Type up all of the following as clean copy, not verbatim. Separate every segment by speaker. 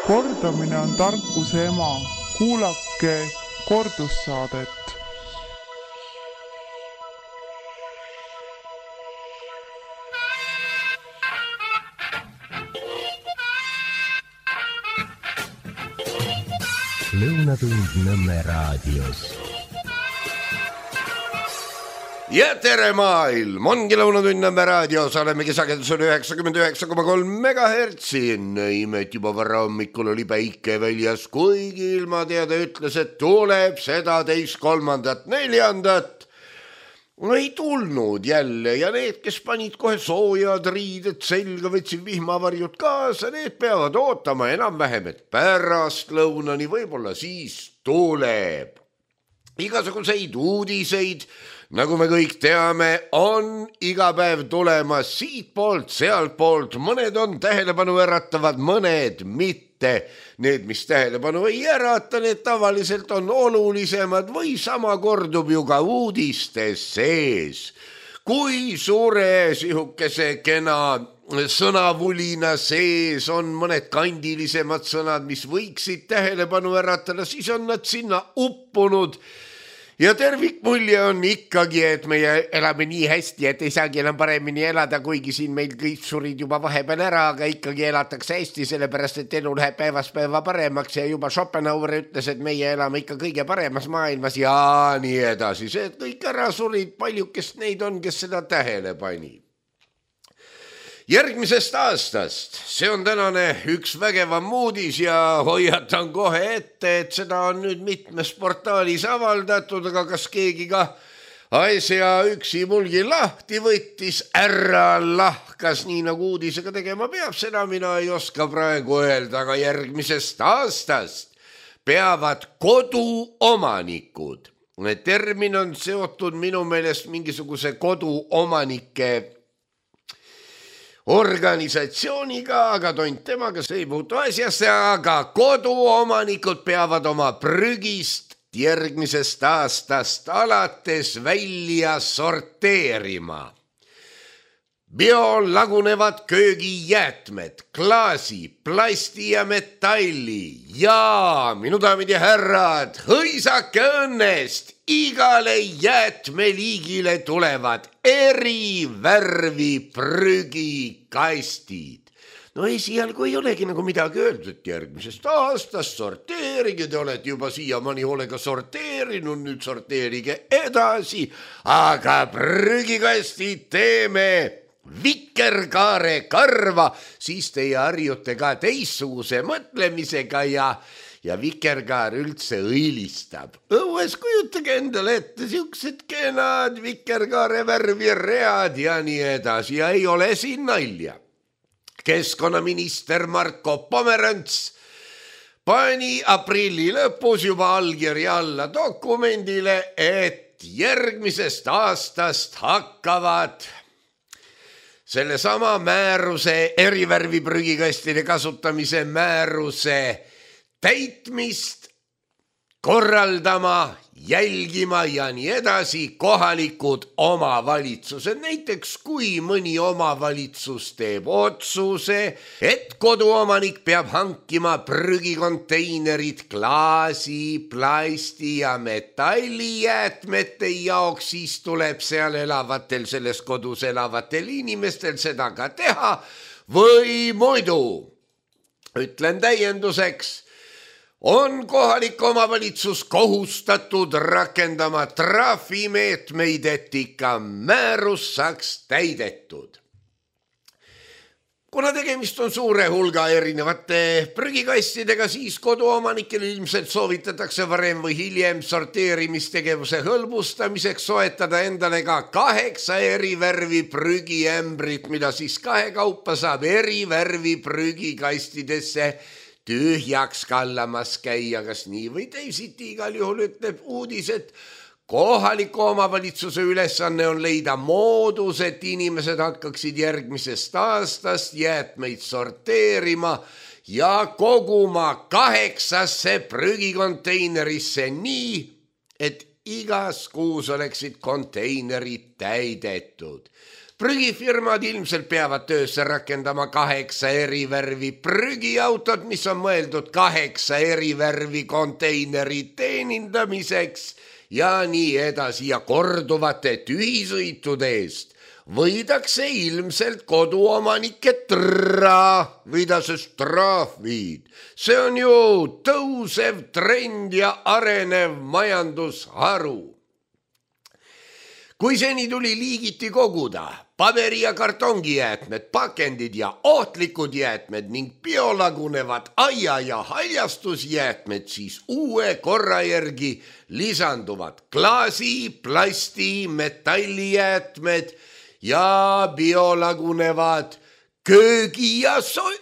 Speaker 1: Kordamine on tarkuse ema. Kuulake kordussaadet.
Speaker 2: Lõunatund Nõmme raadios.
Speaker 3: Ja tere maailm, ongi Lõunatund Nõmme raadios, olemegi sagedusel 99,3 megahertsi. Näimet juba varra hommikul oli päike väljas, kuigi ilmateade ütles, et tuleb seda 2., 3., 4. Ei tulnud jälle ja need, kes panid kohe soojad riided selga, võtsid vihmavarjud kaasa, need peavad ootama enam-vähem, et pärast lõunani võib-olla siis tuleb. Igasuguseid uudiseid, nagu me kõik teame, on iga päev tulemas siit poolt, sealt poolt, mõned on tähelepanu äratavad, mõned mitte. Need, mis tähelepanu ei ärata, need tavaliselt on olulisemad või sama kordub ju ka uudistes sees. Kui suure sihukese kena sõnavulina sees on mõned kandilisemad sõnad, mis võiksid tähelepanu äratada, siis on nad sinna uppunud. Ja tervikmulje on ikkagi, et meie elame nii hästi, et ei saagi enam paremini elada, kuigi siin meil kõik surid juba vahepeal ära, aga ikkagi elatakse hästi, sellepärast et elu läheb päevast päeva paremaks ja juba Schopenhauer ütles, et meie elame ikka kõige paremas maailmas ja nii edasi. See, et kõik ära surid, paljukest neid on, kes seda tähele pani. Järgmisest aastast, see on tänane üks vägevam uudis ja hoiatan kohe ette, et seda on nüüd mitmes portaalis avaldatud, aga kas keegi ka asja üksi mulgi lahti võttis, ära lahkas, nii nagu uudisega tegema peab, seda mina ei oska praegu öelda, aga järgmisest aastast peavad koduomanikud. Termin on seotud minu meelest mingisuguse koduomanike organisatsiooniga, aga tont temaga see ei puutu asjasse, aga koduomanikud peavad oma prügist järgmisest aastast alates välja sorteerima. Biolagunevad köögijäätmed, klaasi, plasti ja metalli ja minu daamid ja härrad, hõisake õnnest, igale jäätmeliigile tulevad eri värvi prügikastid. No esialgu ei olegi nagu midagi öeldud, järgmisest aastast sorteerige, te olete juba siiamaani hoolega sorteerinud, nüüd sorteerige edasi, aga prügikastid teeme vikerkaare karva, siis teie harjute ka teissuguse mõtlemisega ja vikerkaar üldse õilistab. Õues kujutage endale ette siuksed kenad vikerkaare värvi read ja nii edasi ja ei ole siin nalja. Keskkonnaminister Marko Pomerants pani aprilli lõpus juba allkirja alla dokumendile, et järgmisest aastast hakkavad selle sama määruse, erivärvi prügikastide kasutamise määruse täitmist korraldama, jälgima ja nii edasi kohalikud omavalitsused. Näiteks kui mõni omavalitsus teeb otsuse, et koduomanik peab hankima prügikonteinerid klaasi, plasti ja metallijäätmete jaoks, siis tuleb seal elavatel, selles kodus elavatel inimestel seda ka teha või muidu. Ütlen täienduseks, on kohalik omavalitsus kohustatud rakendama trahvimeetmeid, et ikka määrus saaks täidetud. Kuna tegemist on suure hulga erinevate prügikastidega, siis koduomanikel ilmselt soovitatakse varem või hiljem sorteerimistegevuse hõlbustamiseks soetada endale ka 8 erivärvi prügiämbrit, mida siis kahekaupa saab erivärvi prügikastidesse tühjaks kallamas käia, kas nii või teisiti. Igal juhul ütleb uudis, et kohaliku omavalitsuse ülesanne on leida moodus, et inimesed hakkaksid järgmisest aastast jäätmeid sorteerima ja koguma 8 prügikonteinerisse nii, et igas kuus oleksid konteinerid täidetud. Prügifirmad ilmselt peavad töösse rakendama 8 eri värvi prügiautod, mis on mõeldud 8 eri värvi konteineri teenindamiseks ja nii edasi ja korduvate tühisõitude eest võidakse ilmselt koduomanikke trahvid. See on ju tõusev trend ja arenev majandusharu. Kui seni tuli liigiti koguda paberi- ja kartongijäätmed, pakendid ja ohtlikud jäätmed ning biolagunevad aia- ja haljastusjäätmed, siis uue korra järgi lisanduvad klaasi, plasti, metallijäätmed ja biolagunevad köögi- ja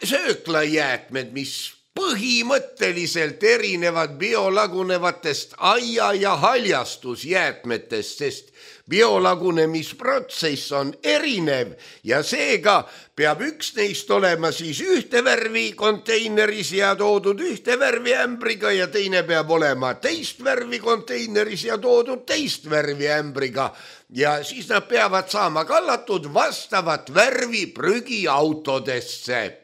Speaker 3: sööklajäätmed, mis põhimõtteliselt erinevad biolagunevatest aia- ja haljastusjäätmetest, sest biolagunemisprotsess on erinev ja seega peab üks neist olema siis ühte värvi konteineris ja toodud ühte värvi ämbriga ja teine peab olema teist värvi konteineris ja toodud teist värvi ämbriga ja siis nad peavad saama kallatud vastavat värvi prügiautodesse.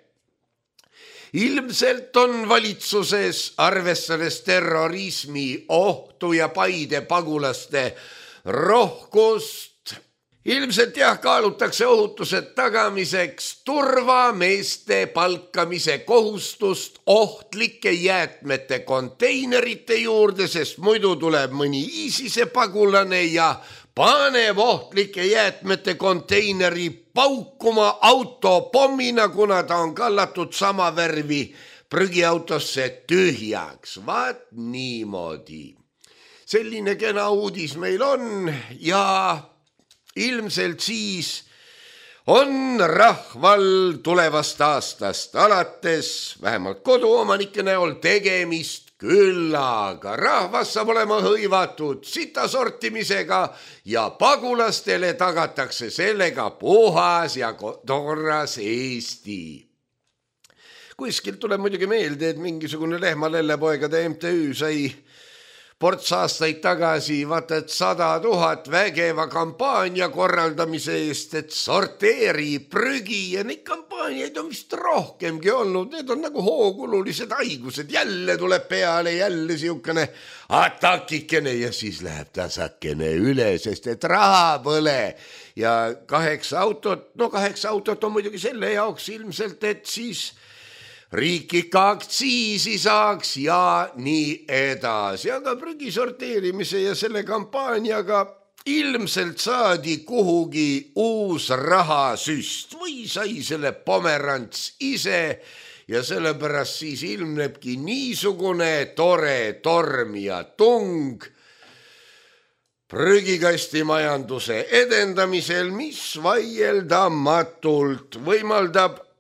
Speaker 3: Ilmselt on valitsuses, arvestades terrorismi ohtu ja Paide pagulaste rohkust, ilmselt kaalutakse ohutuse tagamiseks turvameeste palkamise kohustust ohtlike jäätmete konteinerite juurde, sest muidu tuleb mõni ISISe pagulane ja paneb ohtlike jäätmete konteineri paukuma autopommina, kuna ta on kallatud sama värvi prügiautosse tühjaks. Vaat niimoodi. Selline kena uudis meil on ja ilmselt siis on rahval tulevast aastast alates vähemalt koduomanike näol tegemist küll, aga rahvas saab olema hõivatud sita sortimisega ja pagulastele tagatakse sellega puhas ja torras Eesti. Kuskilt tuleb muidugi meelde, et mingisugune Lehma-Lellepoegade MTÜ sai ports aastaid tagasi vaata, et 100 000 vägeva kampaania korraldamise eest, et sorteeri prügi ja neid kampaaniaid on vist rohkemgi olnud. Need on nagu hoogululised haigused. Jälle tuleb peale, jälle siukene atakikene ja siis läheb tasakene üle, sest et raha põle. Ja 8 autot on muidugi selle jaoks ilmselt, et siis riik ikka aktsiisi saaks ja nii edasi. Aga prügi sorteerimise ja selle kampaaniaga ilmselt saadi kuhugi uus rahasüst või sai selle Pomerants ise ja sellepärast siis ilmnebki niisugune tore torm ja tung prügikastimajanduse edendamisel, mis vaieldamatult võimaldab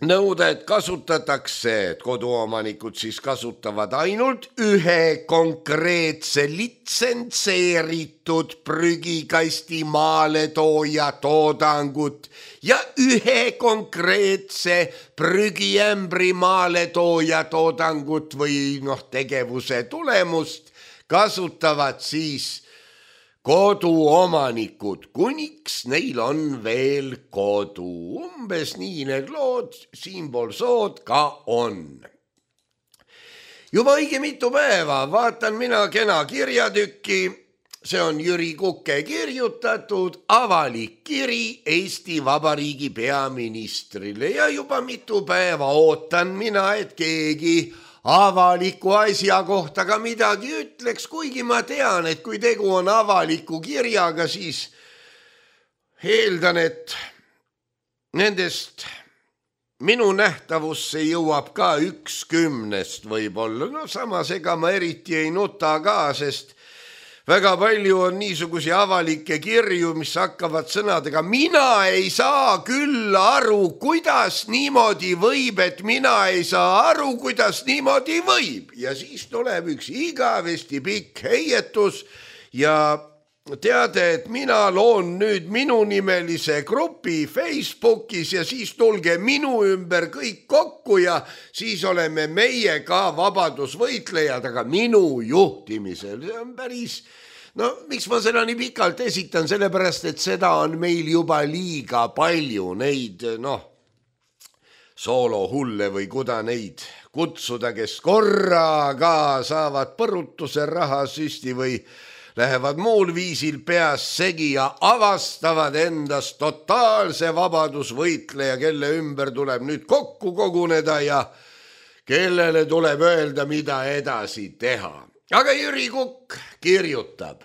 Speaker 3: nõuda, et kasutatakse, et koduomanikud siis kasutavad ainult ühe konkreetse litsentseeritud prügikasti maaletooja toodangut ja ühe konkreetse prügiämbri maaletooja toodangut või tegevuse tulemust kasutavad siis koduomanikud, kuniks neil on veel kodu. Umbes nii need lood siinpool sood ka on. Juba õige mitu päeva vaatan mina kena kirjatükki. See on Jüri Kuke kirjutatud avalik kiri Eesti Vabariigi peaministrile ja juba mitu päeva ootan mina, et keegi avaliku asja kohta ka midagi ütleks, kuigi ma tean, et kui tegu on avaliku kirjaga, siis eeldan, et nendest minu nähtavusse jõuab ka 1/10 võib-olla. Samas ega ma eriti ei nuta ka, sest väga palju on niisugusi avalikke kirju, mis hakkavad sõnadega mina ei saa küll aru, kuidas niimoodi võib, et mina ei saa aru, kuidas niimoodi võib. Ja siis tuleb üks igavesti pikk heietus ja teade, et mina loon nüüd minunimelise grupi Facebookis ja siis tulge minu ümber kõik kokku ja siis oleme meie ka vabadusvõitlejad, aga minu juhtimisel. See on päris No miks ma seda nii pikalt esitan, sellepärast, et seda on meil juba liiga palju neid, soolohulle või kuda neid kutsuda, kes korraga saavad põrutuse rahasüsti või lähevad muul viisil peas segi ja avastavad endast totaalse vabadusvõitleja, kelle ümber tuleb nüüd kokku koguneda ja kellele tuleb öelda, mida edasi teha. Aga Jüri Kukk kirjutab,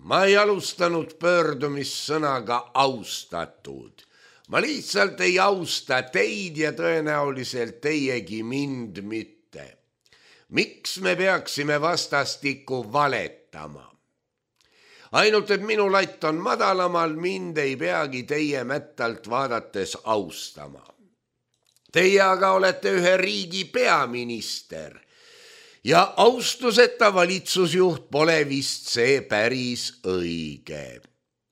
Speaker 3: ma ei alustanud pöördumissõnaga austatud. Ma lihtsalt ei austa teid ja tõenäoliselt teiegi mind mitte. Miks me peaksime vastastikku valetama? Ainult, et minu latt on madalamal, mind ei peagi teie mättalt vaadates austama. Teie aga olete ühe riigi peaminister ja austuseta valitsusjuht pole vist see päris õige.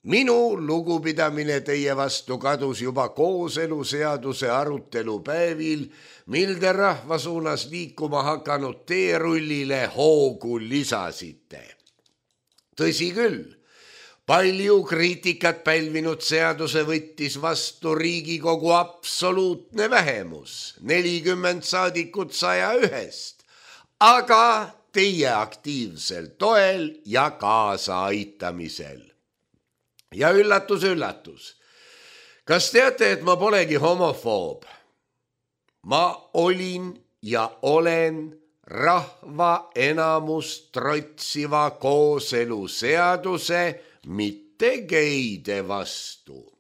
Speaker 3: Minu lugupidamine teie vastu kadus juba kooseluseaduse arutelu päevil, mil te rahva suunas liikuma hakanud teerullile hoogu lisasite. Tõsi küll, palju kriitikat pälvinud seaduse võttis vastu Riigikogu absoluutne vähemus, 40 saadikut 101-st, aga teie aktiivsel toel ja kaasaaitamisel. Ja üllatus, üllatus. Kas teate, et ma polegi homofoob? Ma olin ja olen rahva enamust trotsiva kooseluseaduse, mitte geide vastu.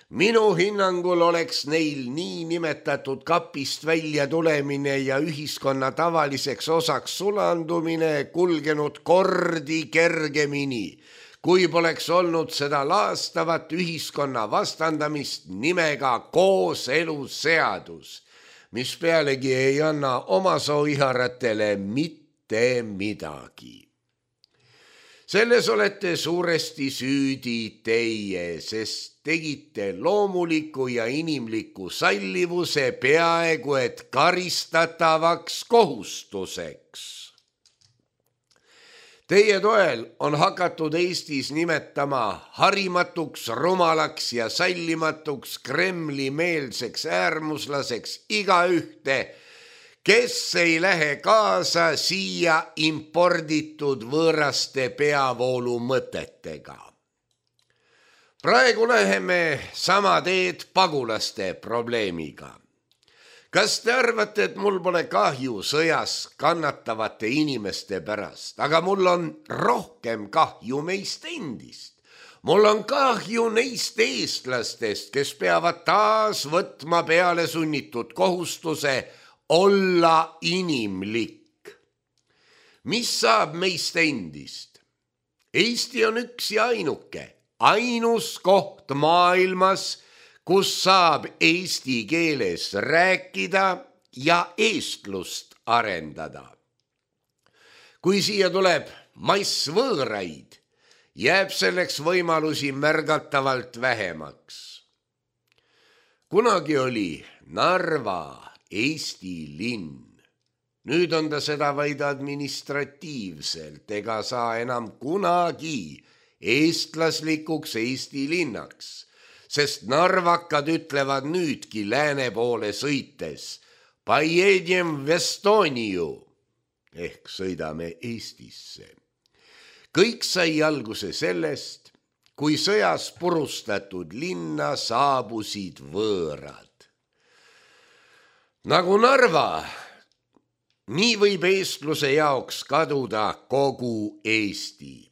Speaker 3: Minu hinnangul oleks neil niinimetatud kapist välja tulemine ja ühiskonna tavaliseks osaks sulandumine kulgenud kordi kergemini, kui poleks olnud seda laastavat ühiskonna vastandamist nimega kooseluseadus, mis pealegi ei anna omasooiharatele mitte midagi. Selles olete suuresti süüdi teie, sest tegite loomuliku ja inimliku sallivuse peaaegu et karistatavaks kohustuseks. Teie toel on hakatud Eestis nimetama harimatuks, rumalaks ja sallimatuks Kremli-meelseks äärmuslaseks igaühte, kes ei lähe kaasa siia imporditud võõraste peavoolu mõtetega. Praegu läheme sama teed pagulaste probleemiga. Kas te arvate, et mul pole kahju sõjas kannatavate inimeste pärast, aga mul on rohkem kahju meist endist. Mul on kahju neist eestlastest, kes peavad taas võtma peale sunnitud kohustuse olla inimlik. Mis saab meist endist? Eesti on üks ja ainuke, ainus koht maailmas, kus saab eesti keeles rääkida ja eestlust arendada. Kui siia tuleb massvõõraid, jääb selleks võimalusi märgatavalt vähemaks. Kunagi oli Narva Eesti linn. Nüüd on ta seda vaid administratiivselt ega saa enam kunagi eestlaslikuks Eesti linnaks, sest narvakad ütlevad nüüdki lääne poole sõites Pojedem v Estoniu ehk sõidame Eestisse. Kõik sai alguse sellest, kui sõjas purustatud linna saabusid võõrad. Nagu Narva, nii võib eestluse jaoks kaduda kogu Eesti.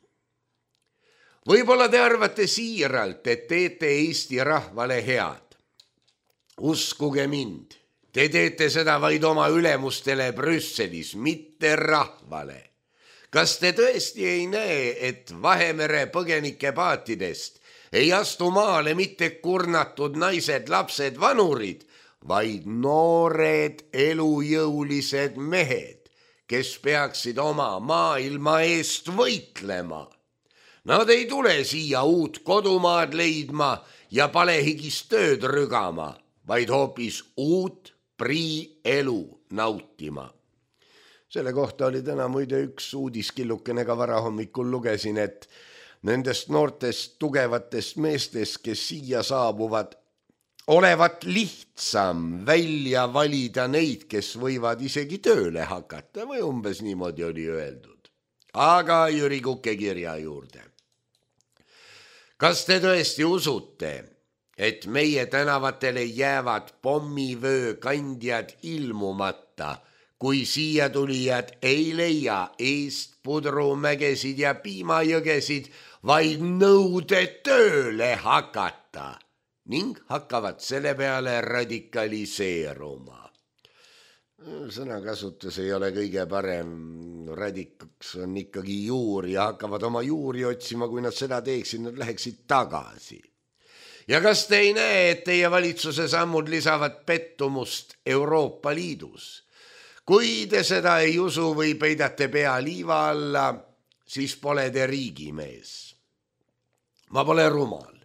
Speaker 3: Võib-olla te arvate siiralt, et teete Eesti rahvale head. Uskuge mind, te teete seda vaid oma ülemustele Brüsselis, mitte rahvale. Kas te tõesti ei näe, et Vahemere põgenike paatidest ei astu maale mitte kurnatud naised, lapsed, vanurid, vaid noored elujõulised mehed, kes peaksid oma maailma eest võitlema? Nad ei tule siia uut kodumaad leidma ja palehigis tööd rügama, vaid hoopis uut priielu nautima. Selle kohta oli täna muide üks uudiskillukene ka varahommikul lugesin, et nendest noortest tugevatest meestest, kes siia saabuvad, olevat lihtsam välja valida neid, kes võivad isegi tööle hakata või umbes niimoodi oli öeldud. Aga Jüri Kuke kirja juurde. Kas te tõesti usute, et meie tänavatele jäävad pommivöö kandjad ilmumata, kui siia tulijad ei leia eest pudrumägesid ja piimajõgesid, vaid nõude tööle hakata ning hakkavad selle peale radikaliseeruma. Sõnakasutus ei ole kõige parem, radikaks on ikkagi juur ja hakkavad oma juuri otsima, kui nad seda teeksid, nad läheksid tagasi. Ja kas te ei näe, et teie valitsuse sammud lisavad pettumust Euroopa Liidus? Kui te seda ei usu või peidate pea liiva alla, siis pole te riigimees. Ma pole rumal.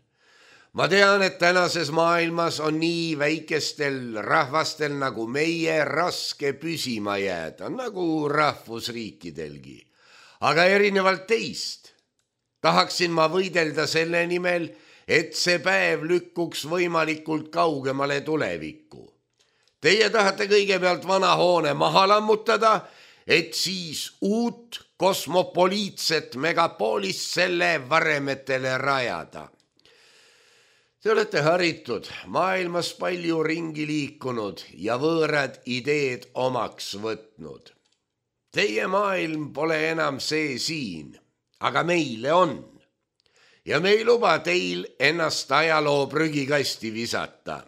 Speaker 3: Ma tean, et tänases maailmas on nii väikestel rahvastel nagu meie raske püsima jääda, nagu rahvusriikidelgi. Aga erinevalt teist tahaksin ma võidelda selle nimel, et see päev lükkuks võimalikult kaugemale tulevikku. Teie tahate kõigepealt vana hoone maha lammutada, et siis uut kosmopoliitset megapoolist selle varemetele rajada. Te olete haritud, maailmas palju ringi liikunud ja võõrad ideed omaks võtnud. Teie maailm pole enam see siin, aga meile on. Ja me ei luba teil ennast ajaloo prügikasti visata.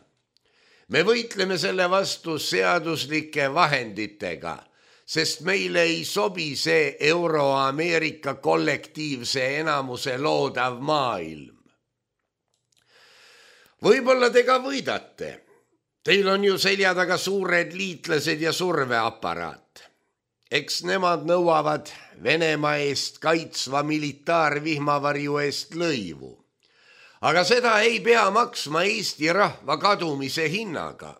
Speaker 3: Me võitleme selle vastu seaduslike vahenditega, sest meile ei sobi see Euro-Ameerika kollektiivse enamuse loodav maailm. Võib-olla te ka võidate. Teil on ju selja taga suured liitlased ja surveaparaat. Eks nemad nõuavad Venemaa eest kaitsva militaarvihmavarju eest lõivu. Aga seda ei pea maksma Eesti rahva kadumise hinnaga.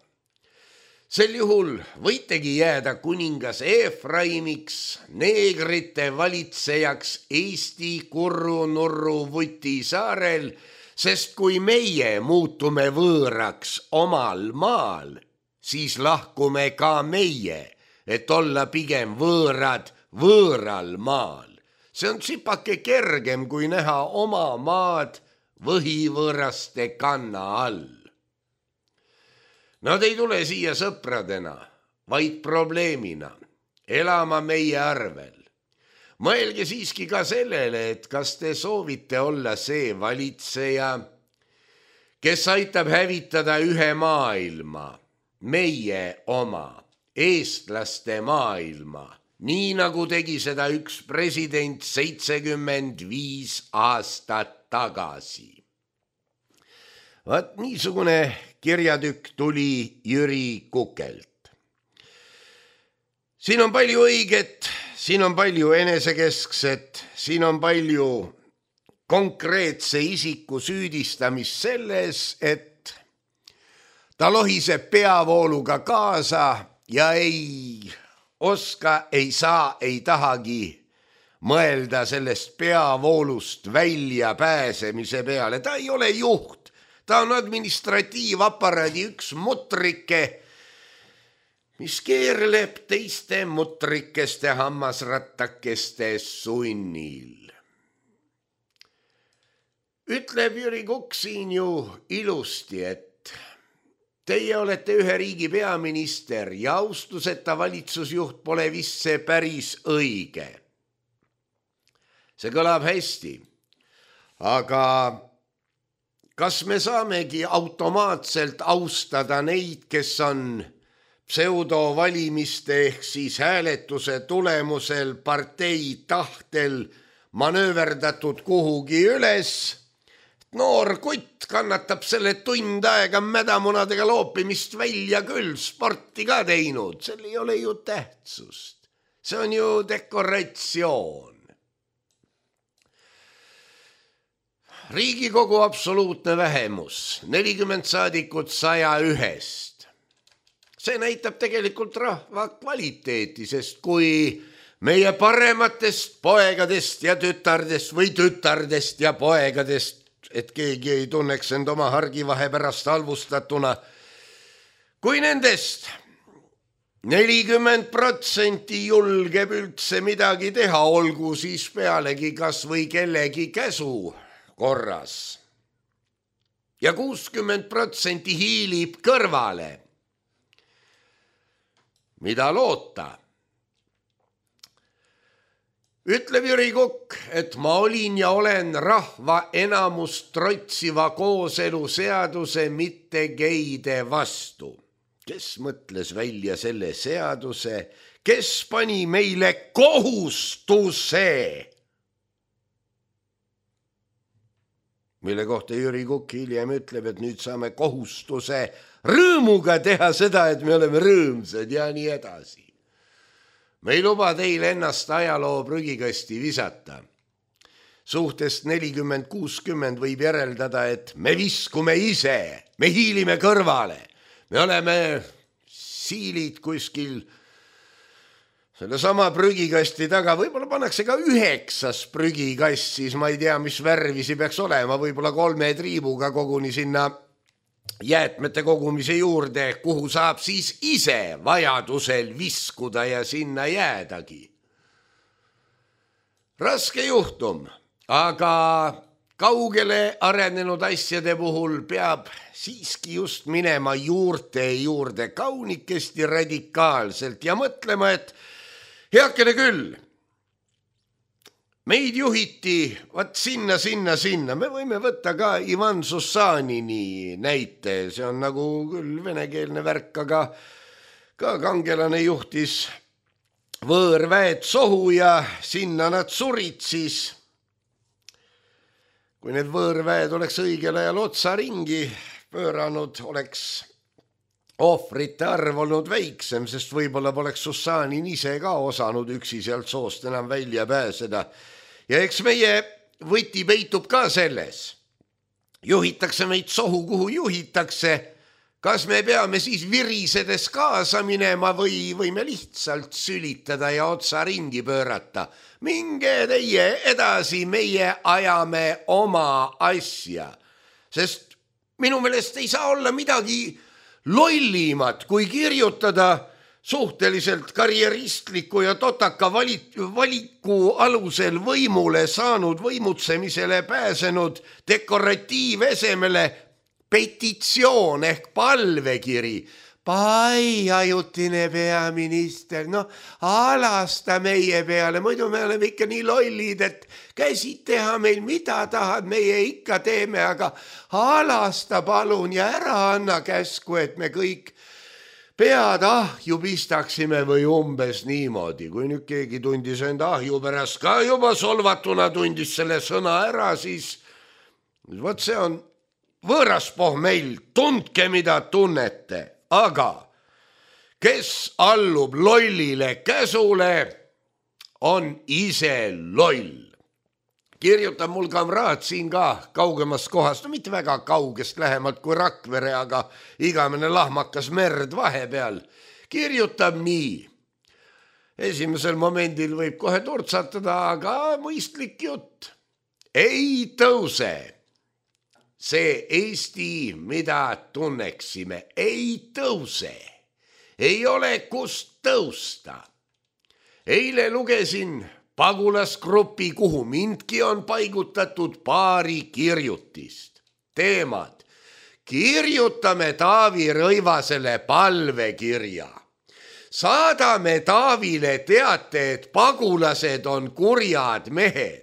Speaker 3: Sel juhul võitegi jääda kuningas Efraimiks, neegrite valitsejaks Eesti Kurru-Nurru Vuti saarel, sest kui meie muutume võõraks omal maal, siis lahkume ka meie, et olla pigem võõrad võõral maal. See on tsipake kergem, kui näha oma maad võhivõõraste kanna all. Nad ei tule siia sõpradena, vaid probleemina, elama meie arvel. Mõelge siiski ka sellele, et kas te soovite olla see valitseja, kes aitab hävitada ühe maailma, meie oma, eestlaste maailma, nii nagu tegi seda üks president 75 aastat tagasi. Vaat niisugune kirjatükk tuli Jüri Kukelt. Siin on palju õiget, siin on palju enesekeskset, siin on palju konkreetse isiku süüdistamist selles, et ta lohiseb peavooluga kaasa ja ei oska, ei saa, ei tahagi mõelda sellest peavoolust välja pääsemise peale. Ta ei ole juht, ta on administratiivaparaadi üks mutrike, mis keerleb teiste mutrikeste hammasrattakeste sunnil. Ütleb Jüri Kukk siin ju ilusti, et teie olete ühe riigi peaminister ja austuseta valitsusjuht pole vist see päris õige. See kõlab hästi, aga kas me saamegi automaatselt austada neid, kes on pseudovalimiste ehk siis hääletuse tulemusel partei tahtel manööverdatud kuhugi üles? Noor kutt kannatab selle tund aega mädamunadega loopimist välja küll, sporti ka teinud, sel ei ole ju tähtsust. See on ju dekoratsioon. Riigikogu absoluutne vähemus, 40 saadikut 101-st. see näitab tegelikult rahva kvaliteeti, sest kui meie parematest poegadest ja tütardest või tütardest ja poegadest, et keegi ei tunneks end oma hargivahe pärast halvustatuna, kui nendest 40% julgeb üldse midagi teha, olgu siis pealegi kas või kellegi käsu korras ja 60% hiilib kõrvale, mida loota? Ütleb Jüri Kukk, et ma olin ja olen rahva enamust trotsiva kooselu seaduse mitte geide vastu. Kes mõtles välja selle seaduse, kes pani meile kohustuse? Mille kohta Jüri Kukk hiljem ütleb, et nüüd saame kohustuse rõõmuga teha seda, et me oleme rõõmsad ja nii edasi. Me ei luba teil ennast ajaloo prügikasti visata. Suhtest 40-60 võib järeldada, et me viskume ise, me hiilime kõrvale. Me oleme siilid kuskil selle sama prügikasti taga. Võib-olla pannakse ka 9 prügikast, siis ma ei tea, mis värvisi peaks olema. Võib-olla 3 triibuga koguni sinna jäätmete kogumise juurde, kuhu saab siis ise vajadusel viskuda ja sinna jäädagi. Raske juhtum, aga kaugele arenenud asjade puhul peab siiski just minema juurte juurde kaunikesti radikaalselt ja mõtlema, et heakene küll, meid juhiti sinna. Me võime võtta ka Ivan Sussanini näite, see on nagu küll venekeelne värk, aga ka kangelane juhtis võõrväed sohu ja sinna nad surid siis. Kui need võõrväed oleks õigel ajal otsa ringi pööranud, oleks ohvrite arv olnud väiksem, sest võib-olla poleks Sussanin ise ka osanud üksi sealt soost enam välja pääseda. Ja eks meie võti peitub ka selles. Juhitakse meid sohu, kuhu juhitakse. Kas me peame siis virisedes kaasa minema või võime lihtsalt sülitada ja otsa ringi pöörata? Minge teie edasi, meie ajame oma asja. Sest minu meelest ei saa olla midagi lollimat, kui kirjutada suhteliselt karjeristliku ja totaka valiku alusel võimule saanud, võimutsemisele pääsenud dekoratiivesemele petitsioon ehk palvekiri. Pai, ajutine peaminister, alasta meie peale, muidu me oleme ikka nii lollid, et käsid teha meil mida tahad, meie ikka teeme, aga alasta palun ja ära anna käsku, et me kõik pead ahju pistaksime või umbes niimoodi. Kui nüüd keegi tundis enda ahju pärast ka juba solvatuna tundis selle sõna ära, siis võt see on võõras pohmeil, tundke mida tunnete. Aga kes allub lollile käsule, on ise loll. Kirjutab mul kamraad siin ka kaugemast kohast, mitte väga kaugest, lähemalt kui Rakvere, aga igamene lahmakas merd vahepeal. Kirjutab nii. Esimesel momendil võib kohe turtsatada, aga mõistlik jutt. Ei tõuse. See Eesti, mida tunneksime, ei tõuse. Ei ole kust tõusta. Eile lugesin pagulasgrupi, kuhu mindki on paigutatud paari kirjutist. Teemad. Kirjutame Taavi Rõivasele palvekirja. Saadame Taavile teate, et pagulased on kurjad mehed.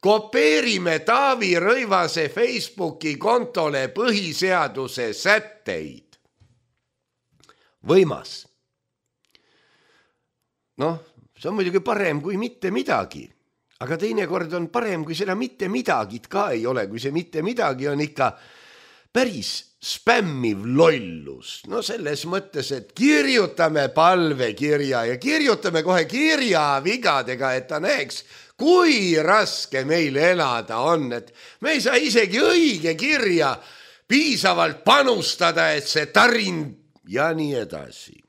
Speaker 3: Kopeerime Taavi Rõivase Facebooki kontole põhiseaduse sätteid. Võimas. See on muidugi parem kui mitte midagi, aga teinekord on parem, kui seda mitte midagit ka ei ole, kui see mitte midagi on ikka päris spämmiv lollus. Selles mõttes, et kirjutame palvekirja ja kirjutame kohe kirjavigadega, et ta näeks, kui raske meil elada on, et me ei saa isegi õige kirja piisavalt panustada, et see tarin ja nii edasi.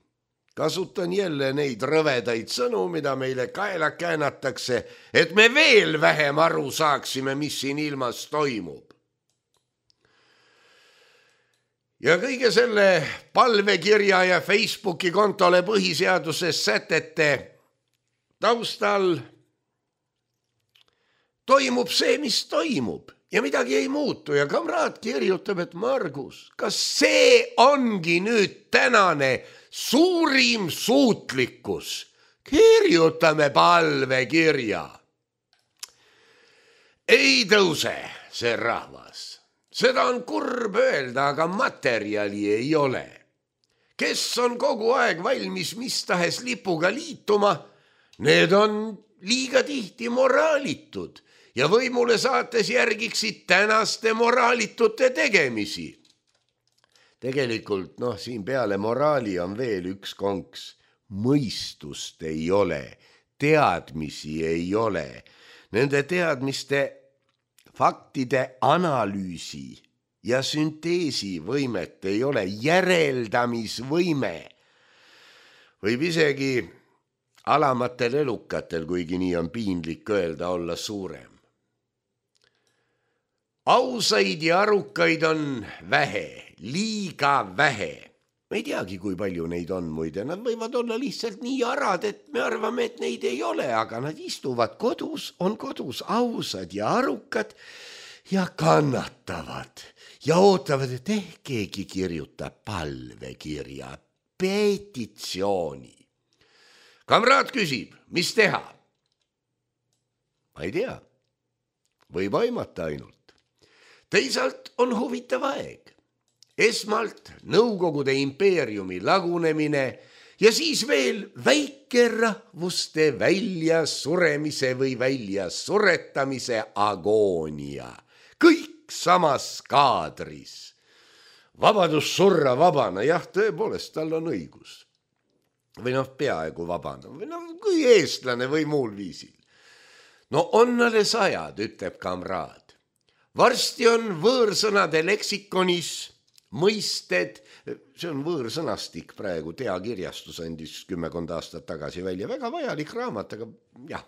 Speaker 3: Kasutan jälle neid rõvedaid sõnu, mida meile kaela käänatakse, et me veel vähem aru saaksime, mis siin ilmas toimub. Ja kõige selle palvekirja ja Facebooki kontole põhiseaduses sätete taustal toimub see, mis toimub ja midagi ei muutu ja kamraad kirjutab, et Margus, kas see ongi nüüd tänane suurim suutlikkus? Kirjutame palvekirja. Ei tõuse see rahvas. Seda on kurb öelda, aga materjali ei ole. Kes on kogu aeg valmis mis tahes lipuga liituma, need on liiga tihti moraalitud ja võimule saates järgiksid tänaste moraalitute tegemisi. Tegelikult, siin peale moraali on veel üks konks. Mõistust ei ole, teadmisi ei ole. Nende teadmiste faktide analüüsi ja sünteesi võimet ei ole, järeldamisvõime. Võib isegi alamatel elukatel, kuigi nii on piinlik öelda, olla suurem. Ausaid ja arukaid on vähe, liiga vähe. Me ei teagi, kui palju neid on muide. Nad võivad olla lihtsalt nii arad, et me arvame, et neid ei ole, aga nad istuvad kodus, on kodus ausad ja arukad ja kannatavad ja ootavad, et keegi kirjutab palvekirja, petitsiooni. Kamraad küsib, mis teha? Ma ei tea. Võib aimata ainult. Teisalt on huvitav aeg. Esmalt Nõukogude impeeriumi lagunemine ja siis veel väikerahvuste väljasuremise või väljasuretamise agoonia. Kõik samas kaadris. Vabadus surra vabana, jah, tõepoolest, tal on õigus. Või peaaegu vabana, või kui eestlane või muul viisil. On alles ajad, ütleb kamraad. Varsti on võõrsõnade leksikonis mõisted, see on võõrsõnastik praegu, teakirjastus andis 10 aastat tagasi välja, väga vajalik raamat, aga jah.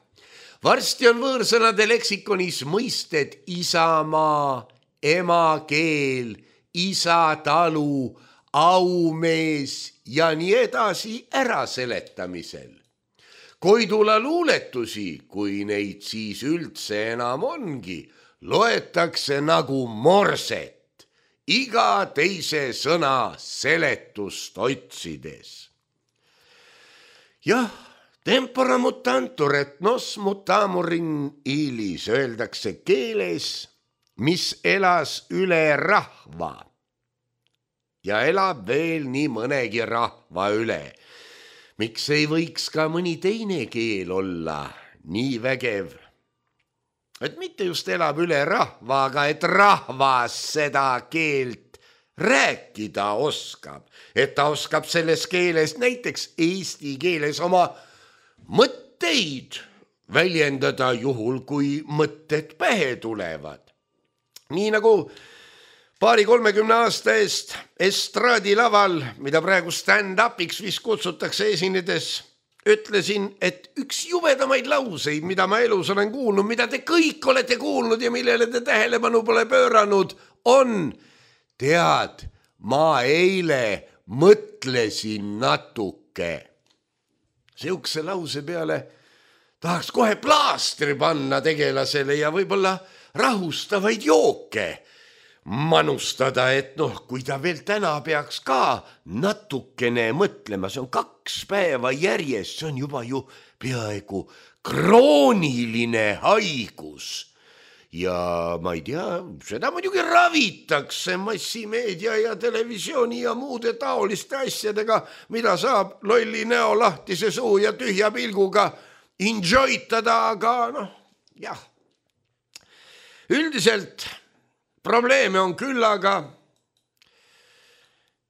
Speaker 3: Varsti on võõrsõnade leksikonis mõisted isamaa, emakeel, isatalu, aumees ja nii edasi äraseletamisel. Koidula luuletusi, kui neid siis üldse enam ongi, loetakse nagu morset, iga teise sõna seletust otsides. Jah, tempora mutantur et nos mutamurin ilis öeldakse keeles, mis elas üle rahva ja elab veel nii mõnegi rahva üle. Miks ei võiks ka mõni teine keel olla nii vägev? Et mitte just elab üle rahva, aga et rahvas seda keelt rääkida oskab. Et ta oskab selles keeles, näiteks eesti keeles oma mõtteid väljendada juhul, kui mõtted pähe tulevad. Nii nagu 20-30 aasta eest estraadilaval, mida praegu stand-upiks vist kutsutakse esinedes, ütlesin, et üks jubedamaid lauseid, mida ma elus olen kuulnud, mida te kõik olete kuulnud ja millele te tähelepanu pole pööranud, on, tead, ma eile mõtlesin natuke. Seukse lause peale tahaks kohe plaastri panna tegelasele ja võib-olla rahustavaid jooke manustada, et kui ta veel täna peaks ka natukene mõtlema, see on 2 päeva järjest, see on juba ju peaaegu krooniline haigus. Ja ma ei tea, seda muidugi ravitakse massimeedia ja televisiooni ja muude taoliste asjadega, mida saab lolli näo lahtise suu ja tühja pilguga enjoytada, aga jah. Üldiselt probleeme on küll, aga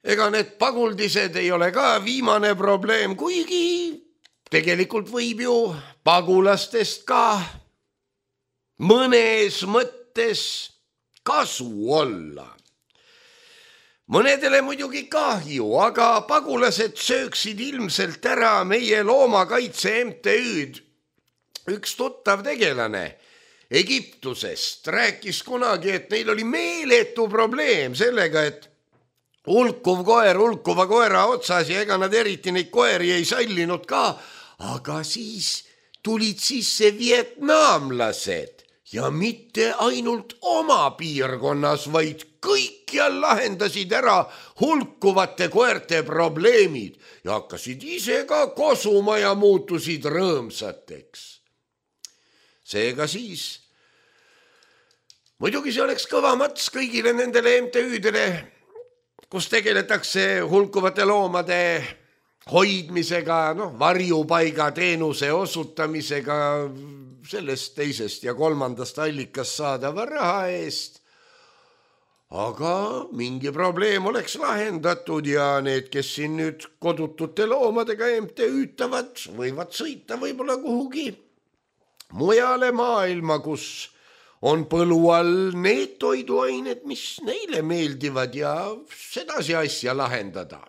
Speaker 3: ega need paguldised ei ole ka viimane probleem, kuigi tegelikult võib ju pagulastest ka mõnes mõttes kasu olla. Mõnedele muidugi kahju, aga pagulased sööksid ilmselt ära meie loomakaitse MTÜ-d. Üks tuttav tegelane Egiptusest rääkis kunagi, et neil oli meeletu probleem sellega, et hulkuv koer hulkuva koera otsas ja ega nad eriti neid koeri ei sallinud ka, aga siis tulid sisse vietnamlased ja mitte ainult oma piirkonnas, vaid kõikjal lahendasid ära hulkuvate koerte probleemid ja hakkasid ise ka kosuma ja muutusid rõõmsateks. Seega siis, muidugi see oleks kõva mats kõigile nendele MTÜ-dele, kus tegeletakse hulkuvate loomade hoidmisega, varjupaiga teenuse osutamisega, sellest teisest ja kolmandast allikast saadava raha eest. Aga mingi probleem oleks lahendatud ja need, kes siin nüüd kodutute loomadega MTÜ-tavad, võivad sõita võib-olla kuhugi mujale maailma, kus on põlu all need toiduained, mis neile meeldivad ja sedasi asja lahendada.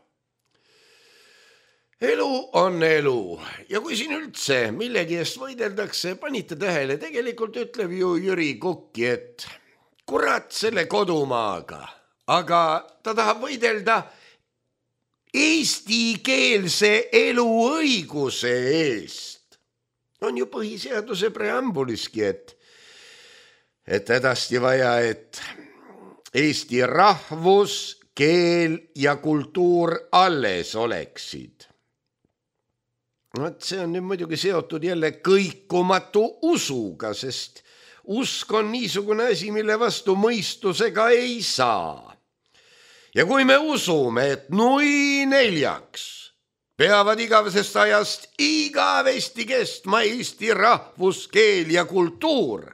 Speaker 3: Elu on elu ja kui siin üldse millegi eest võideldakse, panite tähele, tegelikult ütleb ju Jüri Kukki, et kurat selle kodumaaga, aga ta tahab võidelda eestikeelse eluõiguse eest. On ju põhiseaduse preambuliski, et hädasti vaja, et eesti rahvus, keel ja kultuur alles oleksid. See on nüüd muidugi seotud jälle kõikumatu usuga, sest usk on niisugune asi, mille vastu mõistusega ei saa. Ja kui me usume, et nui neljaks peavad igavesest ajast igavesti kestma eesti rahvus, keel ja kultuur,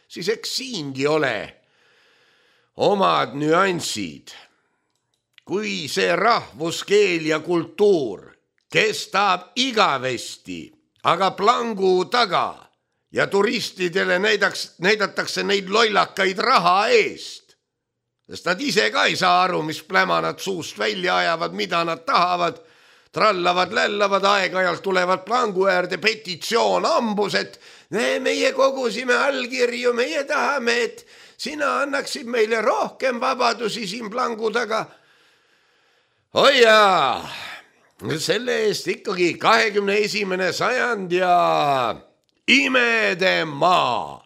Speaker 3: siis eks siingi ole omad nüansid. Kui see rahvus, keel ja kultuur kestab igavesti, aga plangu taga ja turistidele näidatakse neid lollakaid raha eest, sest nad ise ka ei saa aru, mis pläma nad suust välja ajavad, mida nad tahavad, trallavad, lällavad, aeg-ajalt tulevad plangu äärde petitsioon ambus, et meie kogusime allkirju, meie tahame, et sina annaksid meile rohkem vabadusi siin plangu taga. Oi jaa, selle eest ikkagi 21. sajand ja imede maa.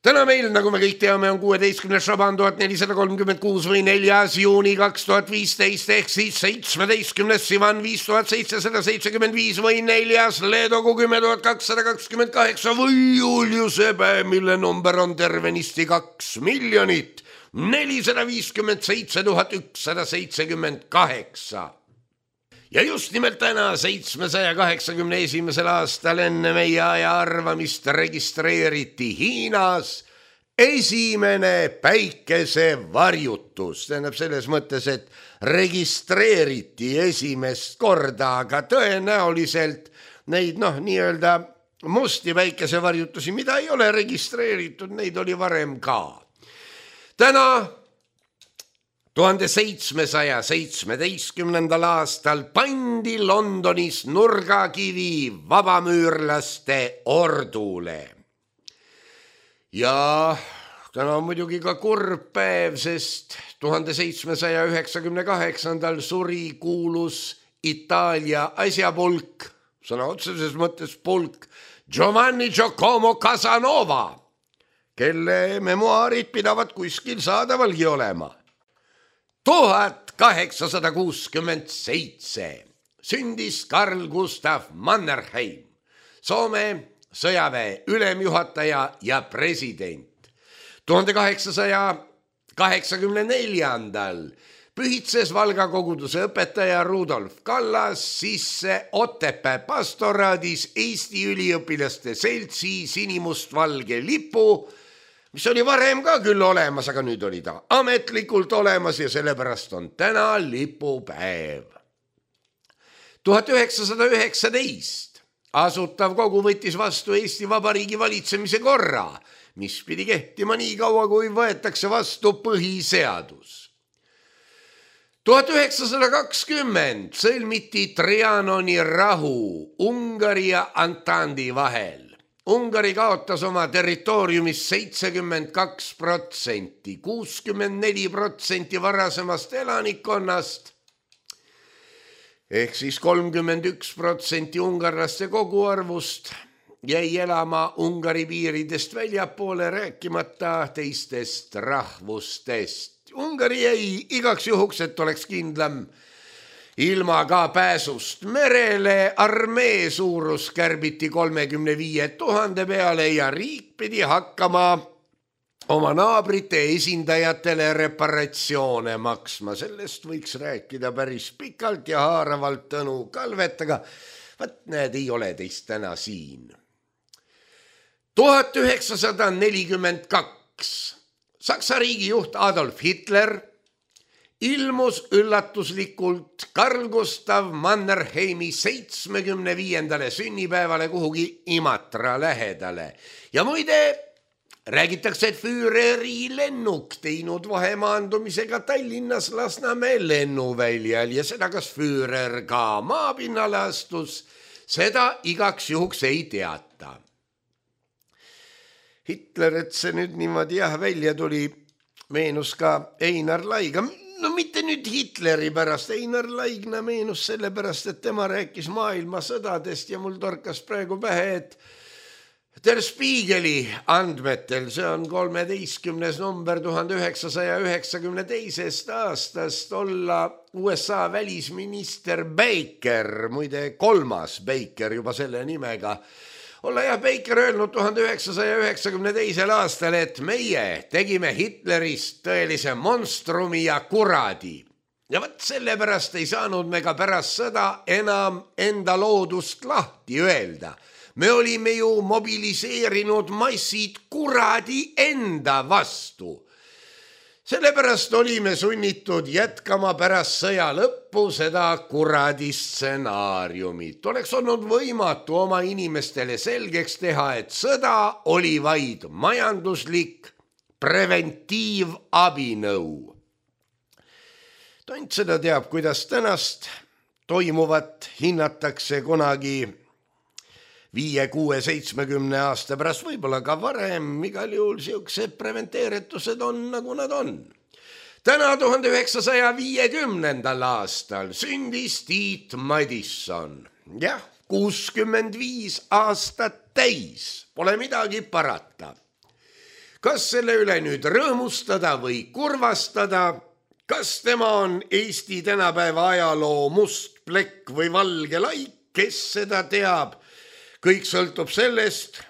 Speaker 3: Täna meil, nagu me kõik teame, on 16. Šaban 1436 või 4. juuni 2015 ehk siis 17. Sivan 5775 või 4. Leedogu 10.228 või Juliuse päev, mille number on tervenisti 2 457 178. Ja just nimelt täna 781. aastal enne meie aja arvamist registreeriti Hiinas esimene päikesevarjutus. Tähendab selles mõttes, et registreeriti esimest korda, aga tõenäoliselt neid nii-öelda musti päikesevarjutusi, mida ei ole registreeritud, neid oli varem ka. Täna 1717. aastal pandi Londonis nurgakivi vabamüürlaste ordule. Ja täna on muidugi ka kurb päev, sest 1798. suri kuulus Itaalia asjapulk, sõna otseses mõttes pulk, Giovanni Giacomo Casanova, kelle memuaarid pidavat kuskil saadavalgi olema. 1867 sündis Carl Gustav Mannerheim, Soome sõjaväe ülemjuhataja ja president. 1884. pühitses Valga koguduse õpetaja Rudolf Kallas sisse Otepää pastoraadis Eesti üliõpilaste seltsi sinimustvalge lipu, mis oli varem ka küll olemas, aga nüüd oli ta ametlikult olemas ja sellepärast on täna lipupäev. 1919 asutav kogu võttis vastu Eesti Vabariigi valitsemise korra, mis pidi kehtima nii kaua, kui võetakse vastu põhiseadus. 1920 sõlmiti Trianoni rahu Ungari ja Antandi vahel. Ungari kaotas oma territooriumist 72%, 64% varasemast elanikkonnast ehk siis 31% ungarlaste koguarvust jäi elama Ungari piiridest väljapoole, rääkimata teistest rahvustest. Ungari jäi igaks juhuks, et oleks kindlam, ilma ka pääsust merele, armee suurus kärbiti 35 000 peale ja riik pidi hakkama oma naabrite esindajatele reparatsioone maksma. Sellest võiks rääkida päris pikalt ja haaravalt Tõnu Kalvet, aga vaat näed, ei ole teist täna siin. 1942 Saksa riigijuht Adolf Hitler ilmus üllatuslikult Carl Gustav Mannerheimi 75. sünnipäevale kuhugi Imatra lähedale. Ja muide, räägitakse, et Führeri lennuk teinud vahemaandumisega Tallinnas Lasnamäe lennuväljal ja seda, kas Führer ka maapinnale astus, seda igaks juhuks ei teata. Hitler, et see nüüd niimoodi välja tuli, meenus ka Einar Laiga. No mitte nüüd Hitleri pärast, Einar Laigna meenus selle pärast, et tema rääkis maailmasõdadest ja mul torkas praegu pähe, et Der Spiegeli andmetel, see on 13. number 1992. aastast, olla USA välisminister Baker, muide 3. Baker juba selle nimega, olla jah Baker öelnud 1992. aastal, et meie tegime Hitlerist tõelise monstrumi ja kuradi. Ja võt sellepärast ei saanud me ka pärast sõda enam enda loodust lahti öelda. Me olime ju mobiliseerinud massid kuradi enda vastu. Sellepärast olime sunnitud jätkama pärast sõja lõppu seda kuradi stsenaariumit. Oleks olnud võimatu oma inimestele selgeks teha, et sõda oli vaid majanduslik preventiivabinõu. Tont seda teab, kuidas tänast toimuvat hinnatakse kunagi 5, 6, 70 aasta pärast, võib-olla ka varem, igal juhul siuksed preventeeritused on, nagu nad on. Täna 1950. aastal sündis Tiit Madisson. Jah, 65 aastat täis, pole midagi parata. Kas selle üle nüüd rõõmustada või kurvastada? Kas tema on Eesti tänapäeva ajaloo must plekk või valge laik, kes seda teab? Kõik sõltub sellest,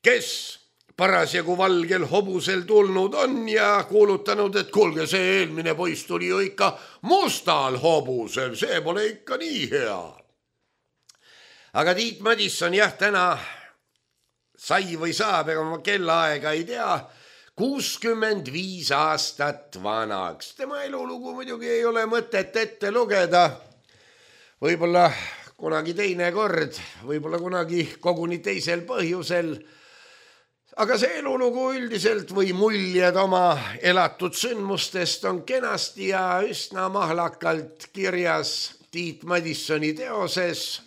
Speaker 3: kes parasjagu valgel hobusel tulnud on ja kuulutanud, et kuulge, see eelmine poiss tuli ju ikka mustal hobusel, see pole ikka nii hea. Aga Tiit Madisson jah, täna sai või saab, ega ma kellaaega ei tea, 65 aastat vanaks. Tema elulugu muidugi ei ole mõtet ette lugeda. Võib-olla kunagi teine kord, võib-olla kunagi koguni teisel põhjusel. Aga see elulugu üldiselt või muljed oma elatud sündmustest on kenasti ja üsna mahlakalt kirjas Tiit Madissoni teoses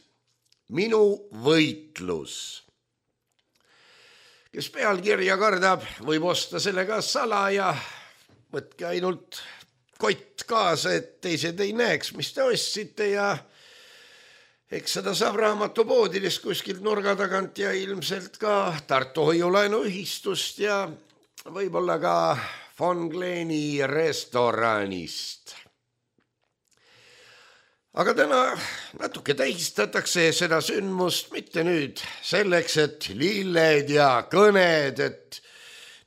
Speaker 3: Minu võitlus. Kes pealkirja kardab, võib osta selle ka salaja. Võtke ainult kott kaasa, et teised ei näeks, mis te ostsite ja eks seda saab raamatupoodidest kuskilt nurga tagant ja ilmselt ka Tartu Hoiulaenuühistust ja võib-olla ka Von Gleni restoranist. Aga täna natuke tähistatakse seda sündmust mitte nüüd selleks, et lilled ja kõned, et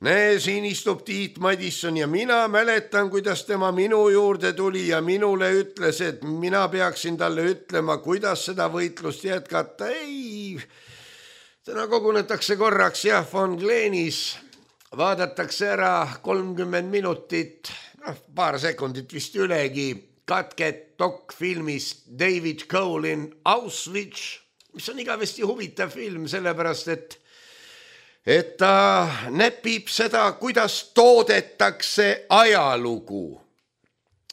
Speaker 3: näe, siin istub Tiit Madisson ja mina mäletan, kuidas tema minu juurde tuli ja minule ütles, et mina peaksin talle ütlema, kuidas seda võitlust jätkata. Ei, täna kogunetakse korraks jah, Von Glenis, vaadatakse ära 30 minutit, paar sekundit vist ülegi, katket dokfilmist David Cole'in Auschwitz, mis on igavesti huvitav film, sellepärast et ta näpib seda, kuidas toodetakse ajalugu.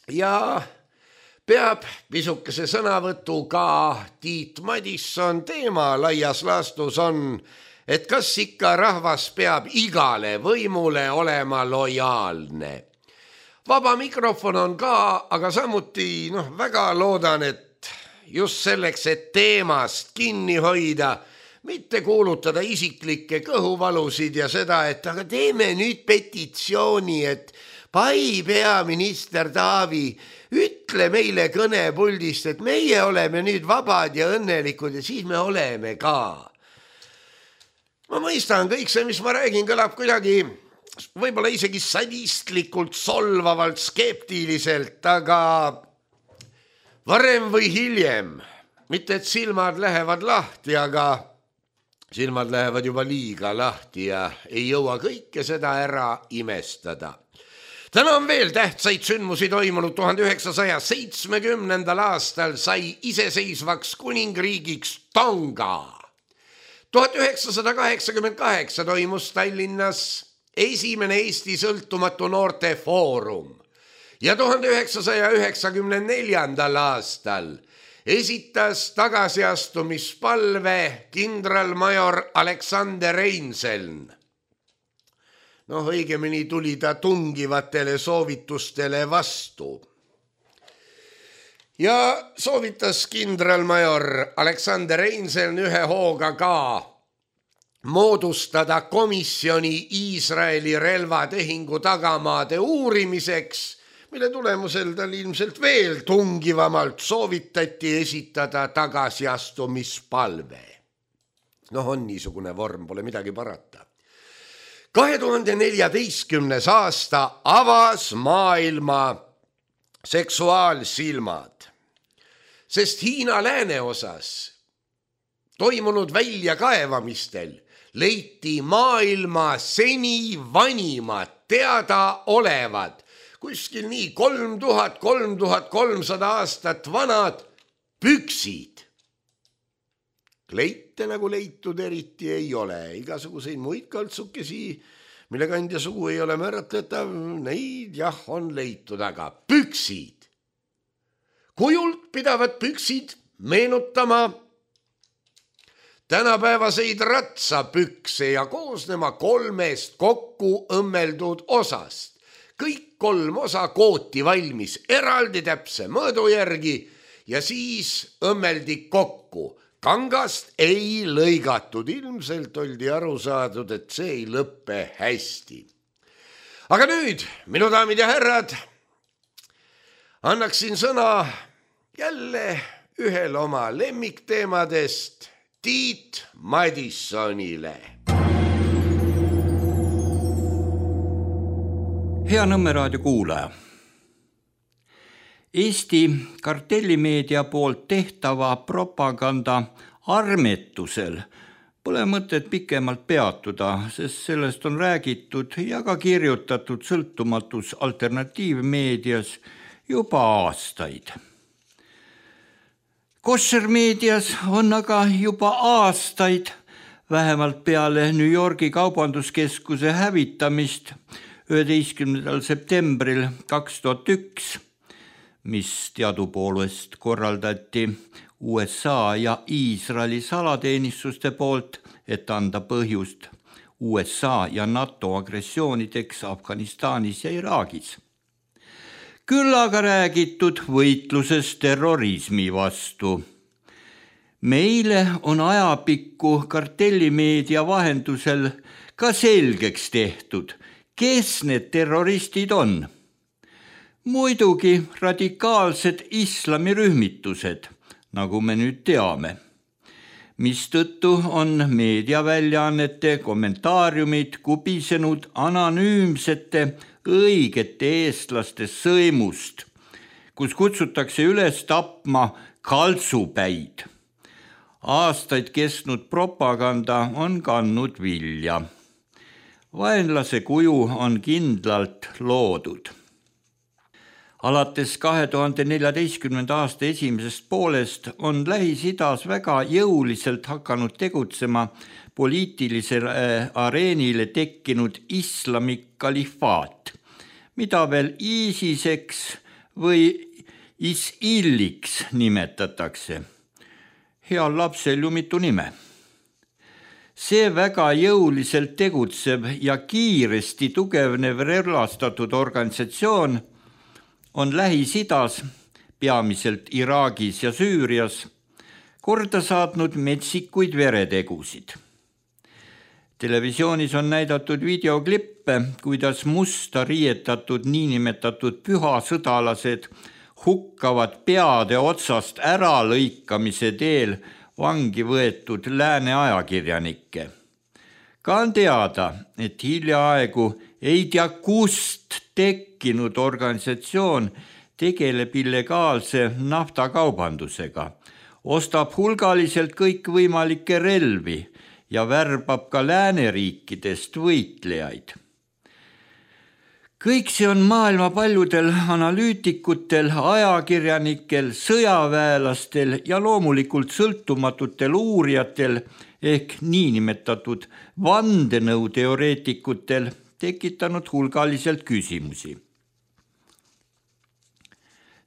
Speaker 3: Ja peab pisukese sõnavõtu ka Tiit Madisson. Teema laias laastus on, et kas ikka rahvas peab igale võimule olema lojaalne. Vaba mikrofon on ka, aga samuti väga loodan, et just selleks, et teemast kinni hoida, mitte kuulutada isiklikke kõhuvalusid ja seda, et aga teeme nüüd petitsiooni, et pai peaminister Taavi, ütle meile kõnepuldist, et meie oleme nüüd vabad ja õnnelikud ja siis me oleme ka. Ma mõistan, kõik see, mis ma räägin, kõlab kuidagi võib-olla isegi sadistlikult, solvavalt, skeptiliselt, aga varem või hiljem, mitte et silmad lähevad lahti, aga silmad lähevad juba liiga lahti ja ei jõua kõike seda ära imestada. Täna on veel tähtsaid sündmusi toimunud. 1970. aastal sai iseseisvaks kuningriigiks Tonga. 1988 toimus Tallinnas esimene Eesti sõltumatu noorte foorum ja 1994. aastal esitas tagasiastumispalve kindralmajor Alexander Reinseln. Õigemini tuli ta tungivatele soovitustele vastu. Ja soovitas kindralmajor Alexander Reinseln ühe hooga ka moodustada komisjoni Iisraeli relvatehingu tagamaade uurimiseks, mille tulemusel tal ilmselt veel tungivamalt soovitati esitada tagasiastumispalve. On niisugune vorm, pole midagi parata. 2014. aasta avas maailma seksuaalsilmad, sest Hiina lääneosas toimunud väljakaevamistel leiti maailma seni vanimad teadaolevad, kuskil nii 3300 aastat vanad püksid. Kleite nagu leitud eriti ei ole, igasuguseid muid kaltsukesi, mille kandja sugu ei ole määratletav, neid jah on leitud, aga püksid. Kujult pidavad püksid meenutama tänapäevaseid ratsapükse ja koosnema 3 kokku õmmeldud osast. Kõik 3 osa kooti valmis eraldi täpse mõõdu järgi ja siis õmmeldi kokku. Kangast ei lõigatud, ilmselt oldi aru saadud, et see ei lõppe hästi. Aga nüüd, minu daamid ja härrad, annaksin sõna jälle ühel oma lemmikteemadest Tiit Madissonile.
Speaker 4: Hea Nõmme raadio kuulaja. Eesti kartellimeedia poolt tehtava propaganda armetusel pole mõtet pikemalt peatuda, sest sellest on räägitud ja ka kirjutatud sõltumatus alternatiivmeedias juba aastaid. Koshermeedias on aga juba aastaid, vähemalt peale New Yorgi kaubanduskeskuse hävitamist 11. septembril 2001, mis teadupoolest korraldati USA ja Iisraeli salateenistuste poolt, et anda põhjust USA ja NATO agressioonideks Afganistanis ja Iraagis. Küll aga räägitud võitluses terrorismi vastu. Meile on ajapikku kartellimeedia vahendusel ka selgeks tehtud, kes need terroristid on. Muidugi radikaalsed islamirühmitused, nagu me nüüd teame, mistõttu on meediaväljaannete kommentaariumid kubisenud anonüümsete õigete eestlaste sõimust, kus kutsutakse üles tapma kaltsupäid. Aastaid kestnud propaganda on kandnud vilja. Vaenlase kuju on kindlalt loodud. Alates 2014. aasta esimesest poolest on Lähis-Idas väga jõuliselt hakanud tegutsema poliitilisele areenile tekkinud islami kalifaat, mida veel ISISeks või ISIL-iks nimetatakse. Heal lapsel ju mitu nime. See väga jõuliselt tegutseb ja kiiresti tugevnev relvastatud organisatsioon on Lähis-Idas, peamiselt Iraagis ja Süürias, korda saatnud metsikuid veretegusid. Televisioonis on näidatud videoklippe, kuidas musta riietatud niinimetatud pühasõdalased hukkavad peade otsast ära lõikamise teel vangi võetud lääne ajakirjanikke. Ka on teada, et hiljaaegu ei tea kust tekkinud organisatsioon tegeleb illegaalse naftakaubandusega, ostab hulgaliselt kõikvõimalikke relvi ja värbab ka lääneriikidest võitlejaid. Kõik see on maailma paljudel analüütikutel, ajakirjanikel, sõjaväelastel ja loomulikult sõltumatutel uurijatel ehk niinimetatud vandenõuteoreetikutel tekitanud hulgaliselt küsimusi.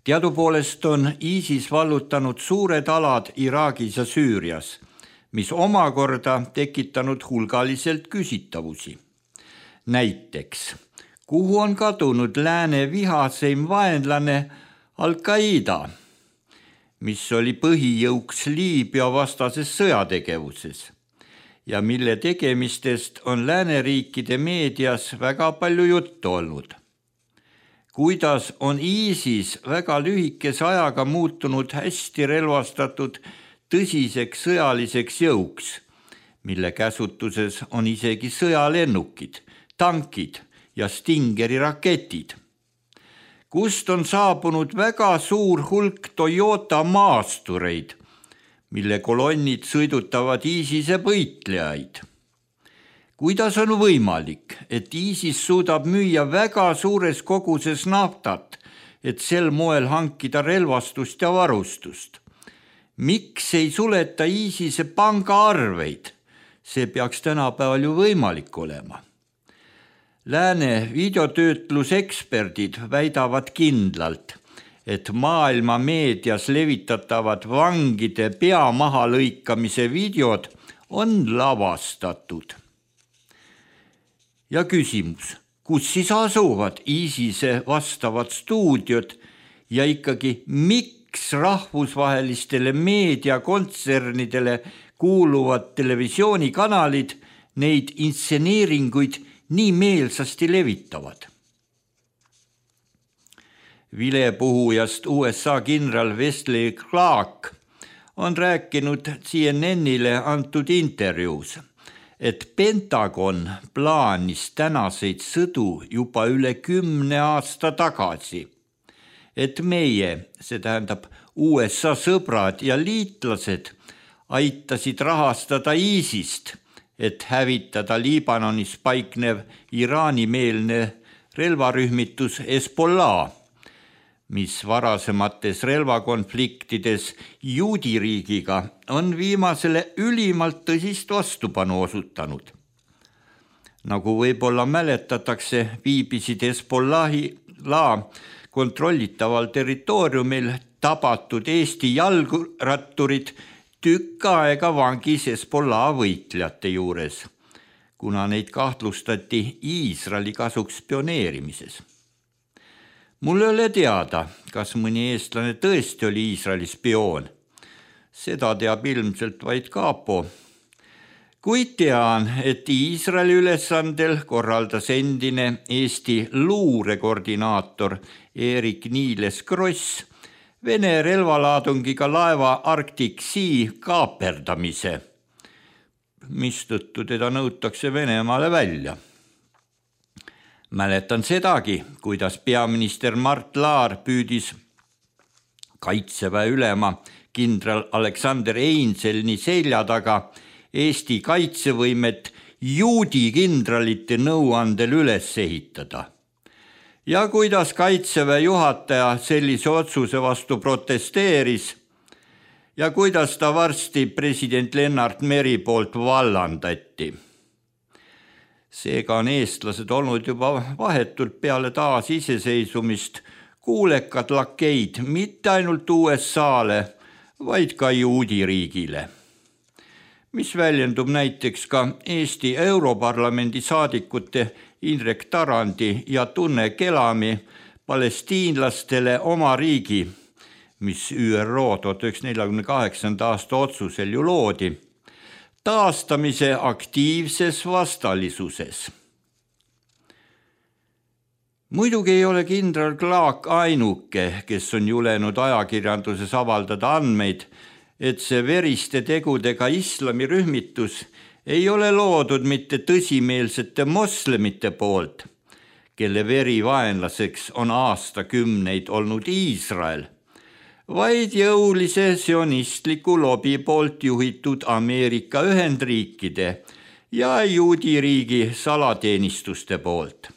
Speaker 4: Teadupoolest on ISIS vallutanud suured alad Iraagis ja Süürias, mis omakorda tekitanud hulgaliselt küsitavusi. Näiteks, kuhu on kadunud lääne vihaseim vaenlane Al-Qaida, mis oli põhijõuks Liibüa vastases sõjategevuses ja mille tegemistest on lääneriikide meedias väga palju juttu olnud. Kuidas on ISIS väga lühikese ajaga muutunud hästi relvastatud tõsiseks sõjaliseks jõuks, mille käsutuses on isegi sõjalennukid, tankid ja Stingeri raketid. Kust on saabunud väga suur hulk Toyota maastureid, mille kolonnid sõidutavad ISISe võitlejaid. Kuidas on võimalik, et ISIS suudab müüa väga suures koguses naftat, et sel moel hankida relvastust ja varustust? Miks ei suleta ISISe pangaarveid? See peaks tänapäeval ju võimalik olema. Lääne videotöötluseksperdid väidavad kindlalt, et maailma meedias levitatavad vangide pea maha lõikamise videod on lavastatud. Ja küsimus, kus siis asuvad ISISe vastavad stuudiod ja ikkagi miks rahvusvahelistele meediakontsernidele kuuluvad televisioonikanalid neid intseneeringuid nii meelsasti levitavad? Vilepuhujast USA kindral Wesley Clark on rääkinud CNN-ile antud intervjuus, et Pentagon plaanis tänaseid sõdu juba üle 10 aasta tagasi, et meie, see tähendab USA sõbrad ja liitlased, aitasid rahastada ISISt, et hävitada Liibanonis paiknev Iraani-meelne relvarühmitus Hezbollah, mis varasemates relvakonfliktides juudiriigiga on viimasele ülimalt tõsist vastupanu osutanud. Nagu võib-olla mäletatakse, viibisid Hezbollahi kontrollitaval territooriumil tabatud Eesti jalgratturid tükk aega vangis Hezbollah võitlejate juures, kuna neid kahtlustati Iisraeli kasuks spioneerimises. Mul ei ole teada, kas mõni eestlane tõesti oli Iisraeli spioon. Seda teab ilmselt vaid kapo. Kuid tean, et Iisraeli ülesandel korraldas endine Eesti luurekoordinaator Eerik-Niiles Kross Vene relvalaadungiga laeva Arctic Sea kaaperdamise, mistõttu teda nõutakse Venemaale välja. Mäletan sedagi, kuidas peaminister Mart Laar püüdis Kaitseväe ülema kindral Aleksander Einselni selja taga Eesti kaitsevõimet juudi kindralite nõuandel üles ehitada. Ja kuidas Kaitseväe juhataja sellise otsuse vastu protesteeris ja kuidas ta varsti president Lennart Meri poolt vallandati. Seega on eestlased olnud juba vahetult peale taasiseseisvumist kuulekad lakeid mitte ainult USA-le, vaid ka juudi riigile, mis väljendub näiteks ka Eesti Europarlamendi saadikute Indrek Tarandi ja Tunne Kelami palestiinlastele oma riigi, mis ÜRO 1948. aasta otsusel ju loodi, taastamise aktiivses vastalisuses. Muidugi ei ole kindral Clark ainuke, kes on julenud ajakirjanduses avaldada andmeid, et see veriste tegudega islamirühmitus ei ole loodud mitte tõsimeelsete moslemite poolt, kelle verivaenlaseks on aastakümneid olnud Iisrael, vaid jõulise sionistliku lobi poolt juhitud Ameerika Ühendriikide ja juudi riigi salateenistuste poolt.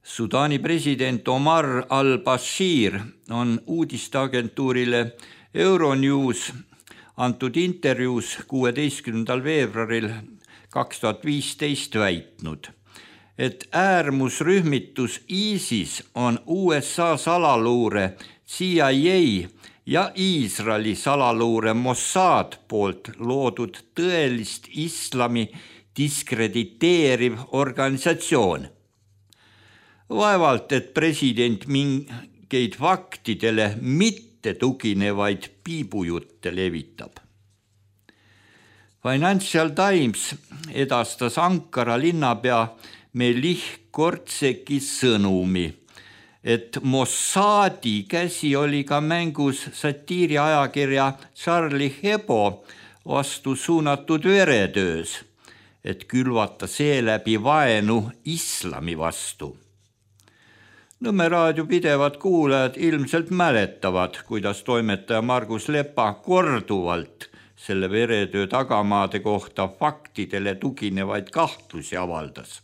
Speaker 4: Sudaani president Omar al-Bashir on uudisteagentuurile Euronews antud intervjuus 16. veebruaril 2015 väitnud, et äärmusrühmitus ISIS on USA salaluure CIA ja Iisraeli salaluure Mossad poolt loodud tõelist islami diskrediteeriv organisatsioon. Vaevalt, et president mingeid faktidele mitte tuginevaid piibujutte levitab. Financial Times edastas Ankara linnapea Melih Kortseki sõnumi, et Mossadi käsi oli ka mängus satiiriajakirja Charlie Hebdo vastu suunatud veretöös, et külvata seeläbi vaenu islami vastu. Nõmme raadio pidevad kuulajad ilmselt mäletavad, kuidas toimetaja Margus Lepa korduvalt selle veretöö tagamaade kohta faktidele tuginevaid kahtlusi avaldas.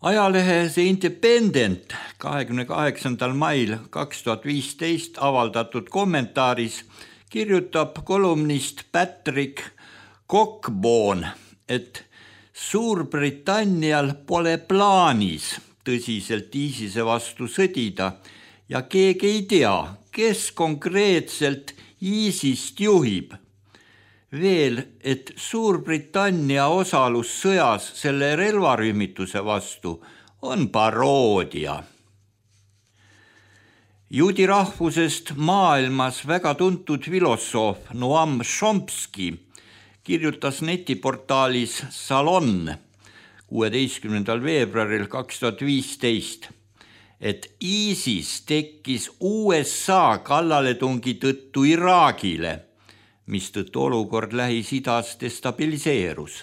Speaker 4: Ajalehe The Independent 28. mail 2015 avaldatud kommentaaris kirjutab kolumnist Patrick Cockburn, et Suurbritannial pole plaanis tõsiselt ISISe vastu sõdida ja keegi ei tea, kes konkreetselt ISISt juhib. Veel, et Suurbritannia osalus sõjas selle relvarühmituse vastu on paroodia. Juudi rahvusest maailmas väga tuntud filosoof Noam Chomsky kirjutas netiportaalis Salon 16. veebruaril 2015, et ISIS tekkis USA kallaletungi tõttu Iraagile, mistõttu olukord Lähis-Idas destabiliseerus.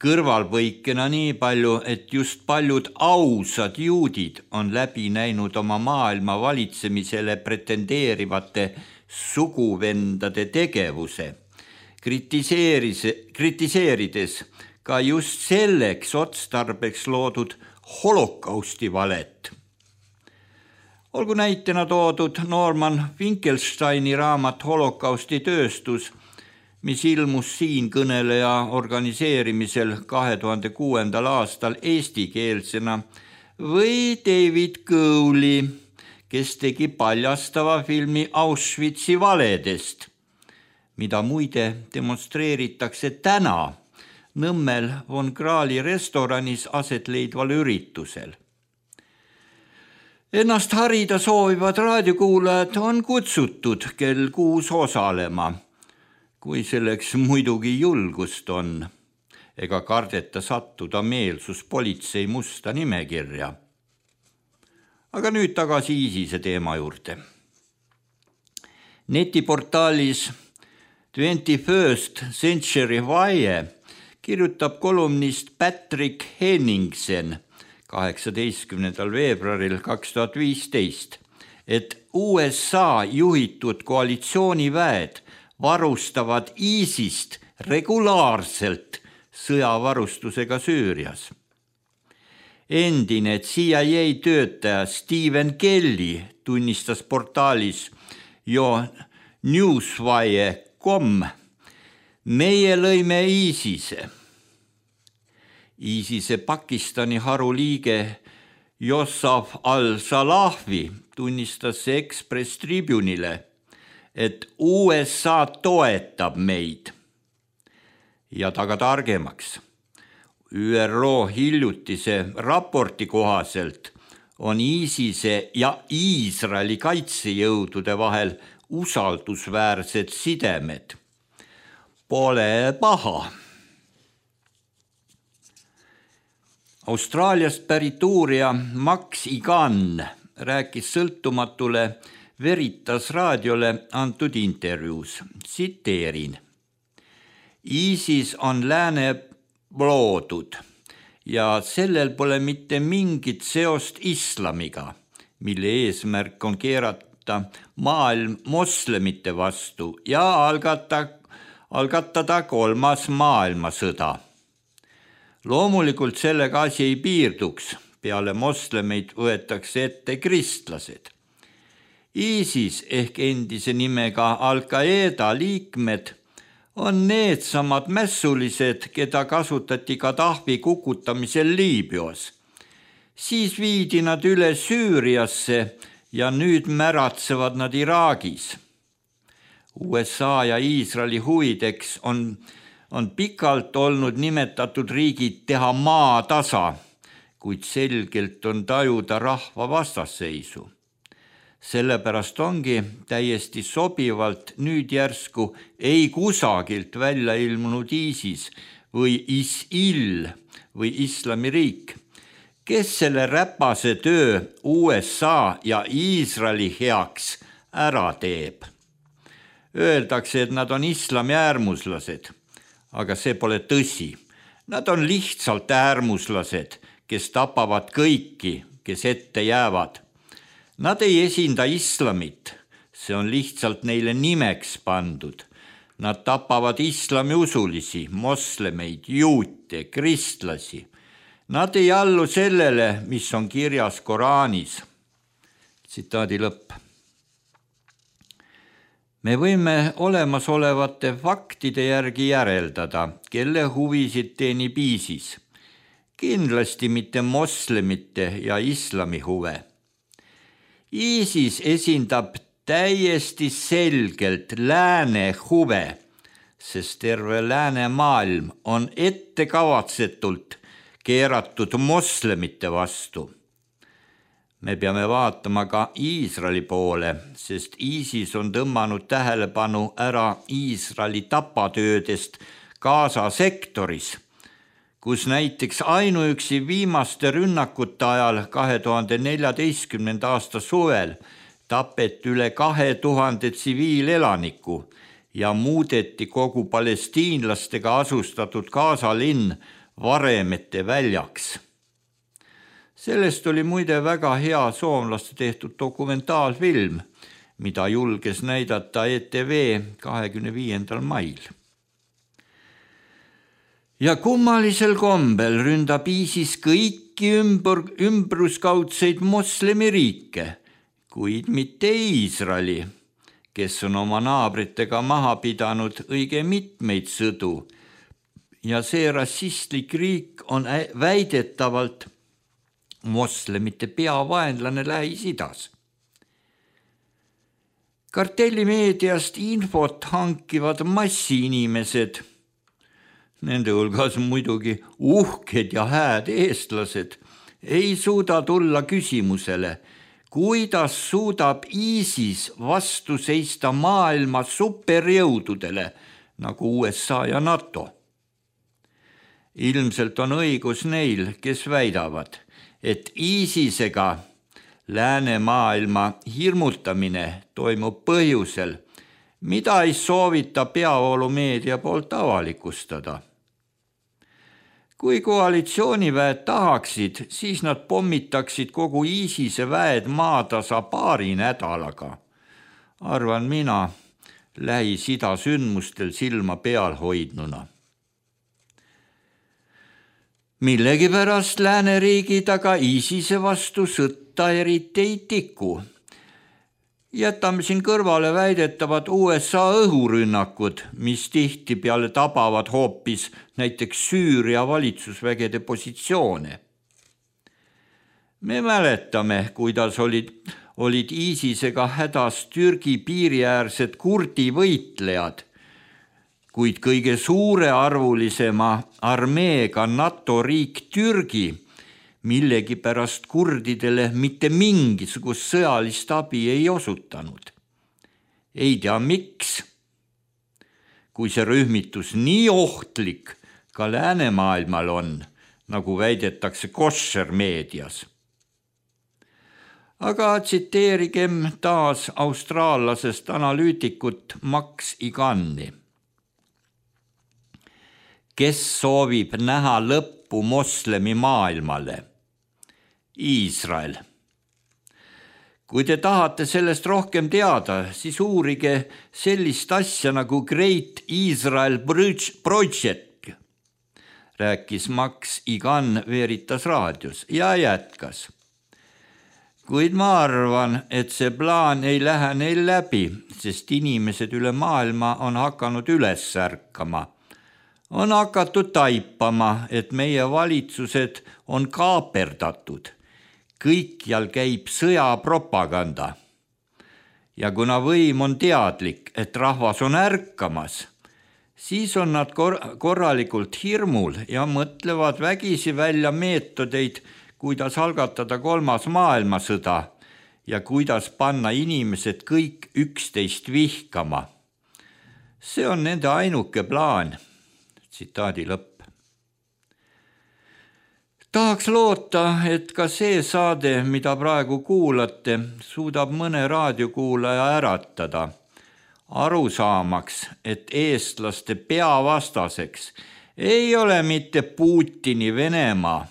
Speaker 4: Kõrvalpõikena nii palju, et just paljud ausad juudid on läbi näinud oma maailma valitsemisele pretendeerivate suguvendade tegevuse, kritiseerides ka just selleks otstarbeks loodud holokausti valet. Olgu näitena toodud Norman Finkelsteini raamat Holokausti tööstus, mis ilmus siinkõneleja organiseerimisel 2006. aastal eestikeelsena, või David Cowley, kes tegi paljastava filmi Auschwitzi valedest, mida muide demonstreeritakse täna Nõmmel von Krahli restoranis aset leidval üritusel. Ennast harida soovivad raadiokuulajad on kutsutud kell 6 osalema, kui selleks muidugi julgust on, ega kardeta sattuda meelsuspolitsei musta nimekirja. Aga nüüd tagasi ISISe teema juurde. Netiportaalis 21st Century Wire kirjutab kolumnist Patrick Henningsen 18. veebruaril 2015, et USA juhitud koalitsiooniväed varustavad ISISt regulaarselt sõjavarustusega Süürias. Endine CIA töötaja Stephen Kelly tunnistas portaalis Newswire.com, meie lõime ISISe. ISISe Pakistani haru liige Yossaf al-Salafi tunnistas Express Tribune'ile, et USA toetab meid. Ja taga targemaks. ÜRO hiljutise raporti kohaselt on ISISe ja Iisraeli kaitsejõudude vahel usaldusväärsed sidemed. Pole paha. Austraaliast pärit uurija Max Igan rääkis sõltumatule Veritas raadiole antud intervjuus. Tsiteerin. ISIS on lääne loodud ja sellel pole mitte mingit seost islamiga, mille eesmärk on keerata maailm moslemite vastu ja algatada 3. maailmasõda. Loomulikult sellega asi ei piirduks, peale moslemeid võetakse ette kristlased. ISIS ehk endise nimega Al-Qaeda liikmed on needsamad mässulised, keda kasutati Gaddafi kukutamisel Liibüas. Siis viidi nad üle Süüriasse ja nüüd märatsevad nad Iraagis. USA ja Iisraeli huvideks on pikalt olnud nimetatud riigid teha maatasa, kuid selgelt on tajuda rahva vastasseisu. Sellepärast ongi täiesti sobivalt nüüd järsku ei kusagilt välja ilmunud ISIS või ISIL või Islamiriik, kes selle räpase töö USA ja Iisraeli heaks ära teeb. Öeldakse, et nad on islami äärmuslased, aga see pole tõsi. Nad on lihtsalt äärmuslased, kes tapavad kõiki, kes ette jäävad. Nad ei esinda islamit, see on lihtsalt neile nimeks pandud. Nad tapavad islamiusulisi, moslemeid, juute, kristlasi. Nad ei allu sellele, mis on kirjas Koraanis. Tsitaadi lõpp. Me võime olemasolevate faktide järgi järeldada, kelle huvisid teenib ISIS. Kindlasti mitte moslemite ja islami huve. ISIS esindab täiesti selgelt lääne huve, sest terve läänemaailm on ettekavatsetult keeratud moslemite vastu. Me peame vaatama ka Iisraeli poole, sest ISIS on tõmmanud tähelepanu ära Iisraeli tapatöödest Gaza sektoris, kus näiteks ainuüksi viimaste rünnakute ajal 2014. aasta suvel tapeti üle 2000 tsiviilelaniku ja muudeti kogu palestiinlastega asustatud Gaza linn varemete väljaks. Sellest oli muide väga hea soomlaste tehtud dokumentaalfilm, mida julges näidata ETV 25. mail. Ja kummalisel kombel ründab ISIS kõiki ümbruskaudseid moslemiriike, kuid mitte Iisraeli, kes on oma naabritega maha pidanud õige mitmeid sõdu. Ja see rassistlik riik on väidetavalt moslemite peavaenlane Lähis-Idas. Kartellimeediast infot hankivad massiinimesed, nende hulgas muidugi uhked ja hääd eestlased, ei suuda tulla küsimusele, kuidas suudab ISIS vastu seista maailma superjõududele nagu USA ja NATO. Ilmselt on õigus neil, kes väidavad, et ISISega läänemaailma hirmutamine toimub põhjusel, mida ei soovita peavoolumeedia poolt avalikustada. Kui koalitsiooniväed tahaksid, siis nad pommitaksid kogu ISISe väed maatasa 2 nädalaga. Arvan mina Lähis-Ida sündmustel silma peal hoidnuna. Millegipärast lääneriigid aga ISISe vastu sõtta eriti ei tiku. Jätame siin kõrvale väidetavad USA õhurünnakud, mis tihtipeale tabavad hoopis näiteks Süüria valitsusvägede positsioone. Me mäletame, kuidas olid ISISega hädas Türgi piiriäärsed kurdi võitlejad, kuid kõige suurearvulisema armeega NATO riik Türgi millegipärast kurdidele mitte mingisugust sõjalist abi ei osutanud. Ei tea miks, kui see rühmitus nii ohtlik ka läänemaailmal on, nagu väidetakse kosher meedias. Aga tsiteerigem taas austraallasest analüütikut Max Igani. Kes soovib näha lõppu moslemi maailmale? Iisrael. Kui te tahate sellest rohkem teada, siis uurige sellist asja nagu Great Israel Project, rääkis Max Igan Veritas raadios ja jätkas. Kuid ma arvan, et see plaan ei lähe neil läbi, sest inimesed üle maailma on hakanud üles ärkama. On hakatud taipama, et meie valitsused on kaaperdatud. Kõikjal käib sõjapropaganda. Ja kuna võim on teadlik, et rahvas on ärkamas, siis on nad korralikult hirmul ja mõtlevad vägisi välja meetodeid, kuidas algatada 3. maailmasõda ja kuidas panna inimesed kõik üksteist vihkama. See on nende ainuke plaan. Tsitaadi lõpp. Tahaks loota, et ka see saade, mida praegu kuulate, suudab mõne raadiokuulaja äratada, aru saamaks, et eestlaste peavastaseks ei ole mitte Putini Venemaa,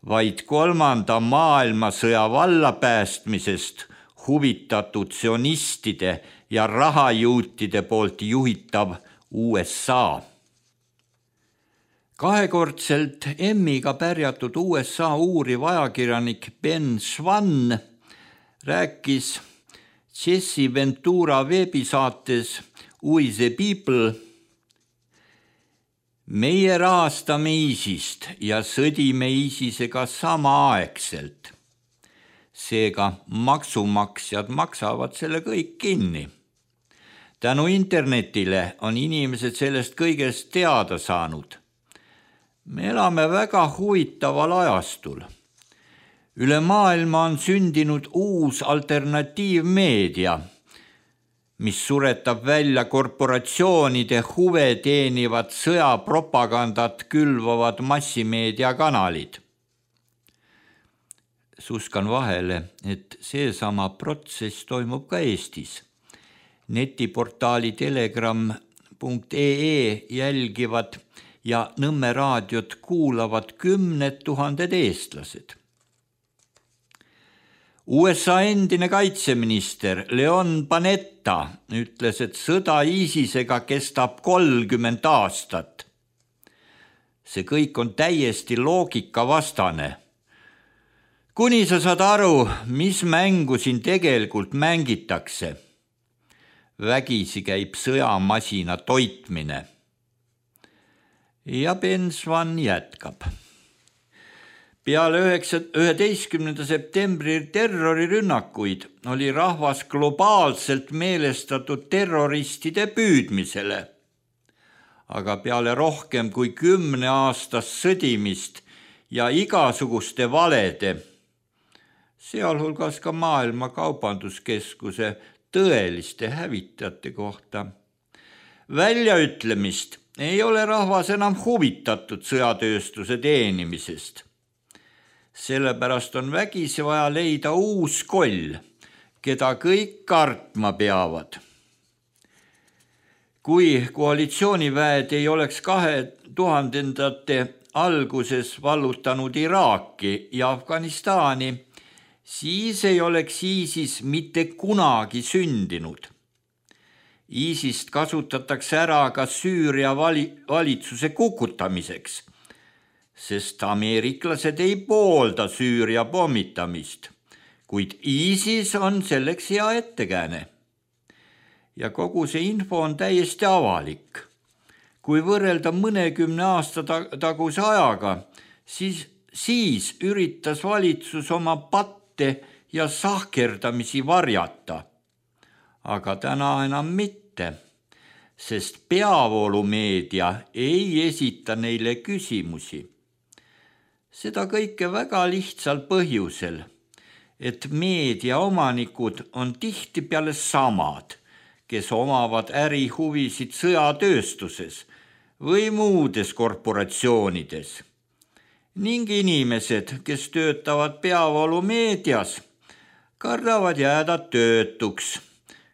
Speaker 4: vaid 3. maailmasõja vallapäästmisest huvitatud sionistide ja rahajuutide poolt juhitav USA. Kahekordselt Emmiga pärjatud USA uuriv ajakirjanik Ben Schwann rääkis Jesse Ventura veebisaates We the People. Meie rahastame ISISt ja sõdime ISISega samaaegselt. Seega maksumaksjad maksavad selle kõik kinni. Tänu internetile on inimesed sellest kõigest teada saanud. Me elame väga huvitaval ajastul. Üle maailma on sündinud uus alternatiivmeedia, mis suretab välja korporatsioonide huve teenivad sõjapropagandat külvavad massimeediakanalid. Suskan vahele, et seesama protsess toimub ka Eestis. Netiportaali telegram.ee jälgivad ja Nõmme raadiot kuulavad 10 000 eestlased. USA endine kaitseminister Leon Panetta ütles, et sõda ISISega kestab 30 aastat. See kõik on täiesti loogikavastane. Kuni sa saad aru, mis mängu siin tegelikult mängitakse. Vägisi käib sõjamasina toitmine. Ja Ben Schwann jätkab. Peale 11. septembri terrorirünnakuid oli rahvas globaalselt meelestatud terroristide püüdmisele. Aga peale rohkem kui 10 aastast sõdimist ja igasuguste valede, sealhulgas ka Maailma Kaubanduskeskuse tõeliste hävitajate kohta, väljaütlemist ei ole rahvas enam huvitatud sõjatööstuse teenimisest. Sellepärast on vägisi vaja leida uus koll, keda kõik kartma peavad. Kui koalitsiooniväed ei oleks 2000-ndate alguses vallutanud Iraaki ja Afganistani, siis ei oleks ISIS mitte kunagi sündinud. ISISt kasutatakse ära ka Süüria valitsuse kukutamiseks, sest ameeriklased ei poolda Süüria pommitamist, kuid ISIS on selleks hea ettekääne. Ja kogu see info on täiesti avalik. Kui võrrelda mõnekümne aasta taguse ajaga, siis siis üritas valitsus oma patte ja sahkerdamisi varjata. Aga täna enam mitte, sest peavoolumeedia ei esita neile küsimusi. Seda kõike väga lihtsal põhjusel, et meedia omanikud on tihtipeale samad, kes omavad ärihuvisid sõjatööstuses või muudes korporatsioonides. Ning inimesed, kes töötavad peavoolumeedias, kardavad jääda töötuks,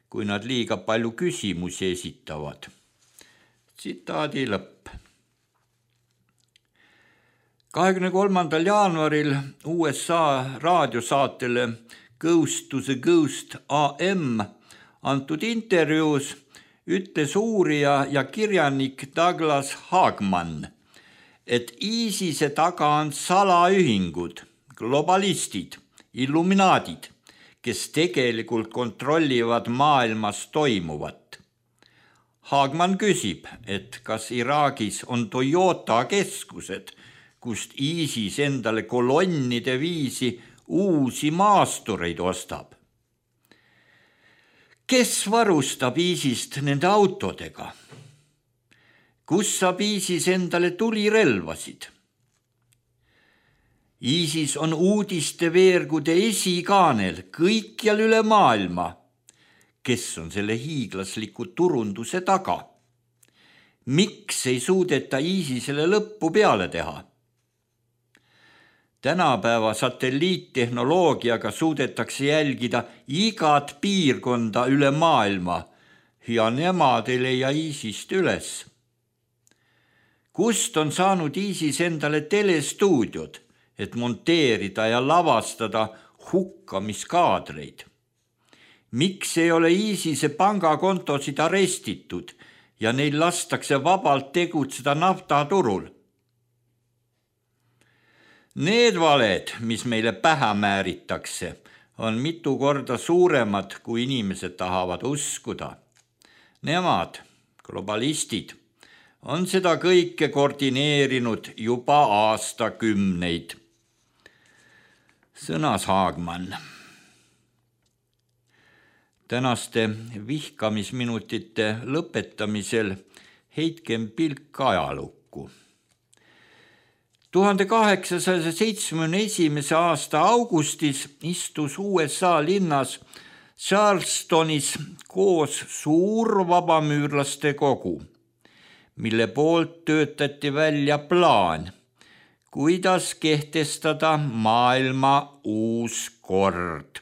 Speaker 4: kui nad liiga palju küsimusi esitavad. Tsitaadi lõpp. 23. jaanuaril USA raadiosaatele Ghost to the Ghost AM antud intervjuus ütles uurija ja kirjanik Douglas Hagman, et ISISe taga on salaühingud, globalistid, illuminaadid, kes tegelikult kontrollivad maailmas toimuvat. Hagman küsib, et kas Iraagis on Toyota keskused, kust ISIS endale kolonnide viisi uusi maastureid ostab. Kes varustab ISISt nende autodega? Kus saab ISIS endale tulirelvasid? ISIS on uudisteveergude esikaanel kõikjal üle maailma. Kes on selle hiiglasliku turunduse taga? Miks ei suudeta ISISele lõppu peale teha? Tänapäeva satelliittehnoloogiaga suudetakse jälgida igat piirkonda üle maailma ja nemad ei leia ISISt üles. Kust on saanud ISIS endale telestuudiod, et monteerida ja lavastada hukkamiskaadreid? Miks ei ole ISISe pangakontosid arestitud ja neil lastakse vabalt tegutseda naftaturul? Need valed, mis meile pähe määritakse, on mitu korda suuremad, kui inimesed tahavad uskuda. Nemad, globalistid, on seda kõike koordineerinud juba aastakümneid. Sõnas Hagman. Tänaste vihkamisminutite lõpetamisel heitkem pilk ajalukku. 1871. aasta augustis istus USA linnas Charlestonis koos suur vabamüürlaste kogu, mille poolt töötati välja plaan, kuidas kehtestada maailma uus kord.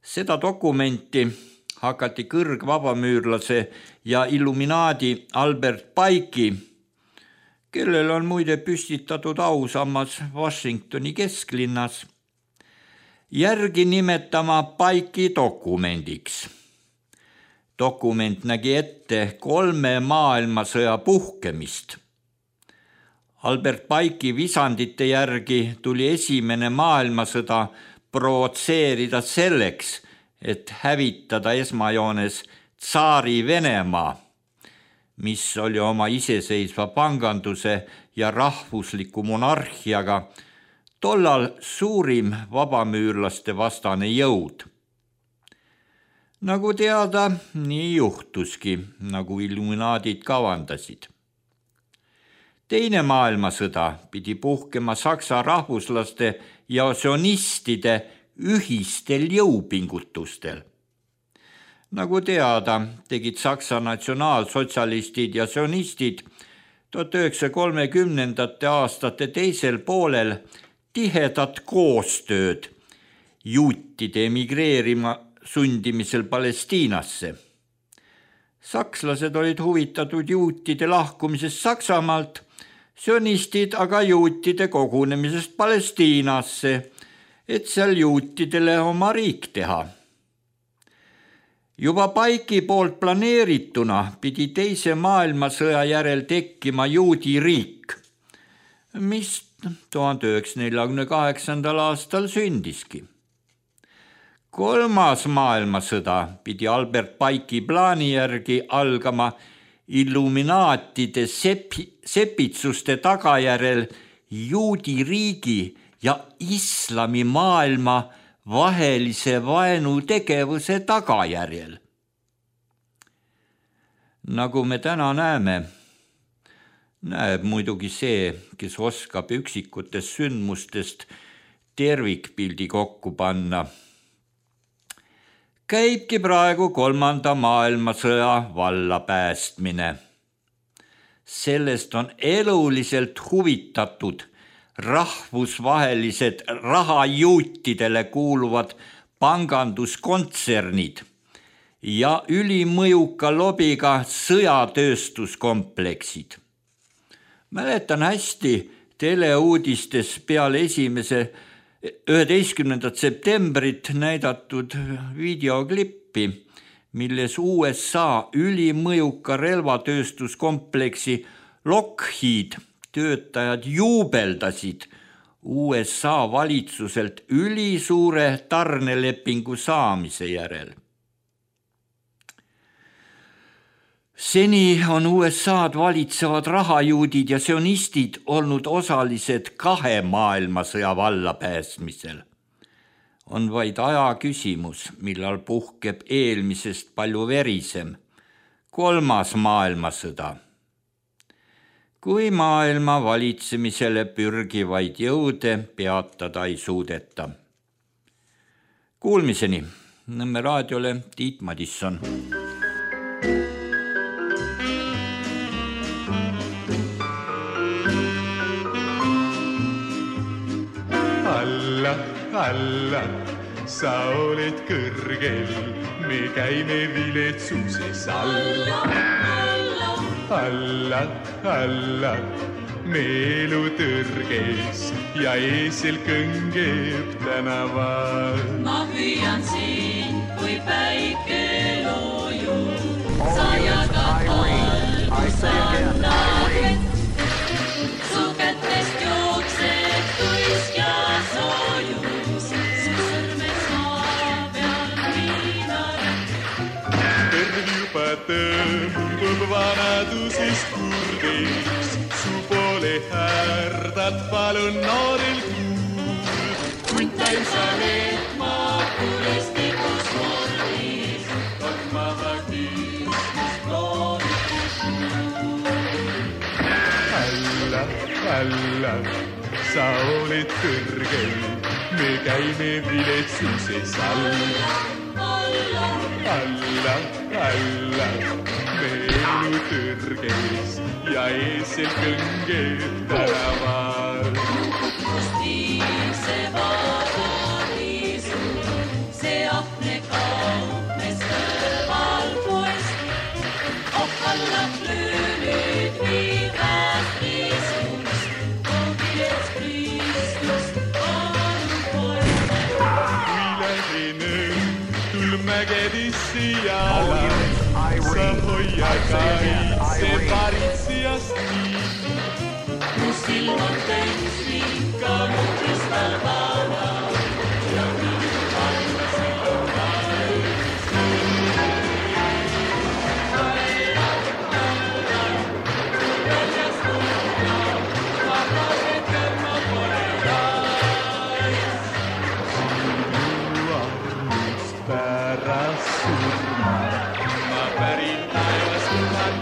Speaker 4: Seda dokumenti hakati kõrgvabamüürlase ja illuminaadi Albert Pike'i, kellel on muide püstitatud ausammas Washingtoni kesklinnas, järgi nimetama Pike'i dokumendiks. Dokument nägi ette 3 maailmasõja puhkemist. Albert Pike'i visandite järgi tuli esimene maailmasõda provotseerida selleks, et hävitada esmajoones tsaari Venemaa, mis oli oma iseseisva panganduse ja rahvusliku monarhiaga tollal suurim vabamüürlaste vastane jõud. Nagu teada, nii juhtuski, nagu illuminaadid kavandasid. Teine maailmasõda pidi puhkema Saksa rahvuslaste ja sionistide ühistel jõupingutustel. Nagu teada, tegid Saksa natsionaalsotsialistid ja sionistid 1930. aastate teisel poolel tihedat koostööd juutide emigreerima sundimisel Palestiinasse. Sakslased olid huvitatud juutide lahkumisest Saksamaalt, sionistid aga juutide kogunemisest Palestiinasse, et seal juutidele oma riik teha. Juba Pike'i poolt planeerituna pidi teise maailmasõja järel tekkima juudi riik, mis 1948. aastal sündiski. 3. maailmasõda pidi Albert Pike'i plaani järgi algama illuminaatide sepitsuste tagajärel juudi riigi ja islamimaailma vahelise vaenutegevuse tagajärjel. Nagu me täna näeme, näeb muidugi see, kes oskab üksikutest sündmustest tervikpildi kokku panna. Käibki praegu 3. maailmasõja vallapäästmine. Sellest on eluliselt huvitatud rahvusvahelised rahajuutidele kuuluvad panganduskontsernid ja ülimõjuka lobiga sõjatööstuskompleksid. Mäletan hästi teleuudistes peale 11. septembrit näidatud videoklippi, milles USA ülimõjuka relvatööstuskompleksi Lockheed töötajad juubeldasid USA valitsuselt ülisuure tarnelepingu saamise järel. Seni on USA'd valitsevad rahajuudid ja sionistid olnud osalised 2 maailmasõja vallapäästmisel. On vaid aja küsimus, millal puhkeb eelmisest palju verisem 3. maailmasõda. Kui maailma valitsemisele pürgivaid jõude peatada ei suudeta. Kuulmiseni. Nõmme raadiole Tiit Madisson.
Speaker 5: Alla, sa oled kõrgel, me käime viletsuses alla. Alla, me elu tõrges ja eesel kõngeb tänaval.
Speaker 6: Ma hüüan siin, kui päike loojub, sa jagad valgus annad vett. Su kätest jookseb tuisk ja soojus, su sõrmes maa peal viinaret.
Speaker 5: Terv juba tõmbub vanadusest kurdiks, su poole härdad palun noorel kuul.
Speaker 6: Kuntain sa leetma kuristikus mordis, tormava küünist loodikus muul.
Speaker 5: Alla, sa oled kõrgel, me käime viletsuses alla. Alla, me elu tõrges ja eesel kõngeb tänaval.
Speaker 6: Kust viib see vabadiisu, see ahne kaupmes kõrval poest. Ohkallab löönüd viivad riisust, koogilets Kristus on poest.
Speaker 5: Kui lähen õhtul mägedisse jala, sa hoia kaitse paritsijast nii.
Speaker 6: Mu silm on täis vinka mu kristallkaava ja minu panna silm valmis. Väljas kuulda, vabased kõrma pole rais.
Speaker 5: Just pärast surma ma pärin taevas luban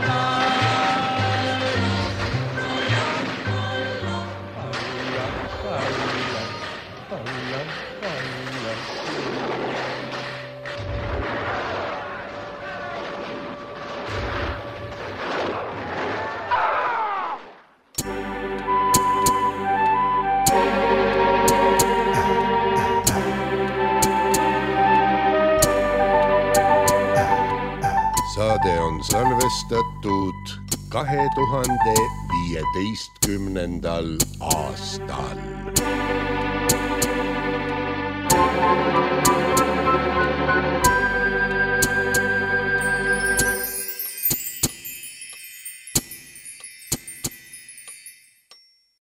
Speaker 3: Saade on salvestatud 2015. aastal.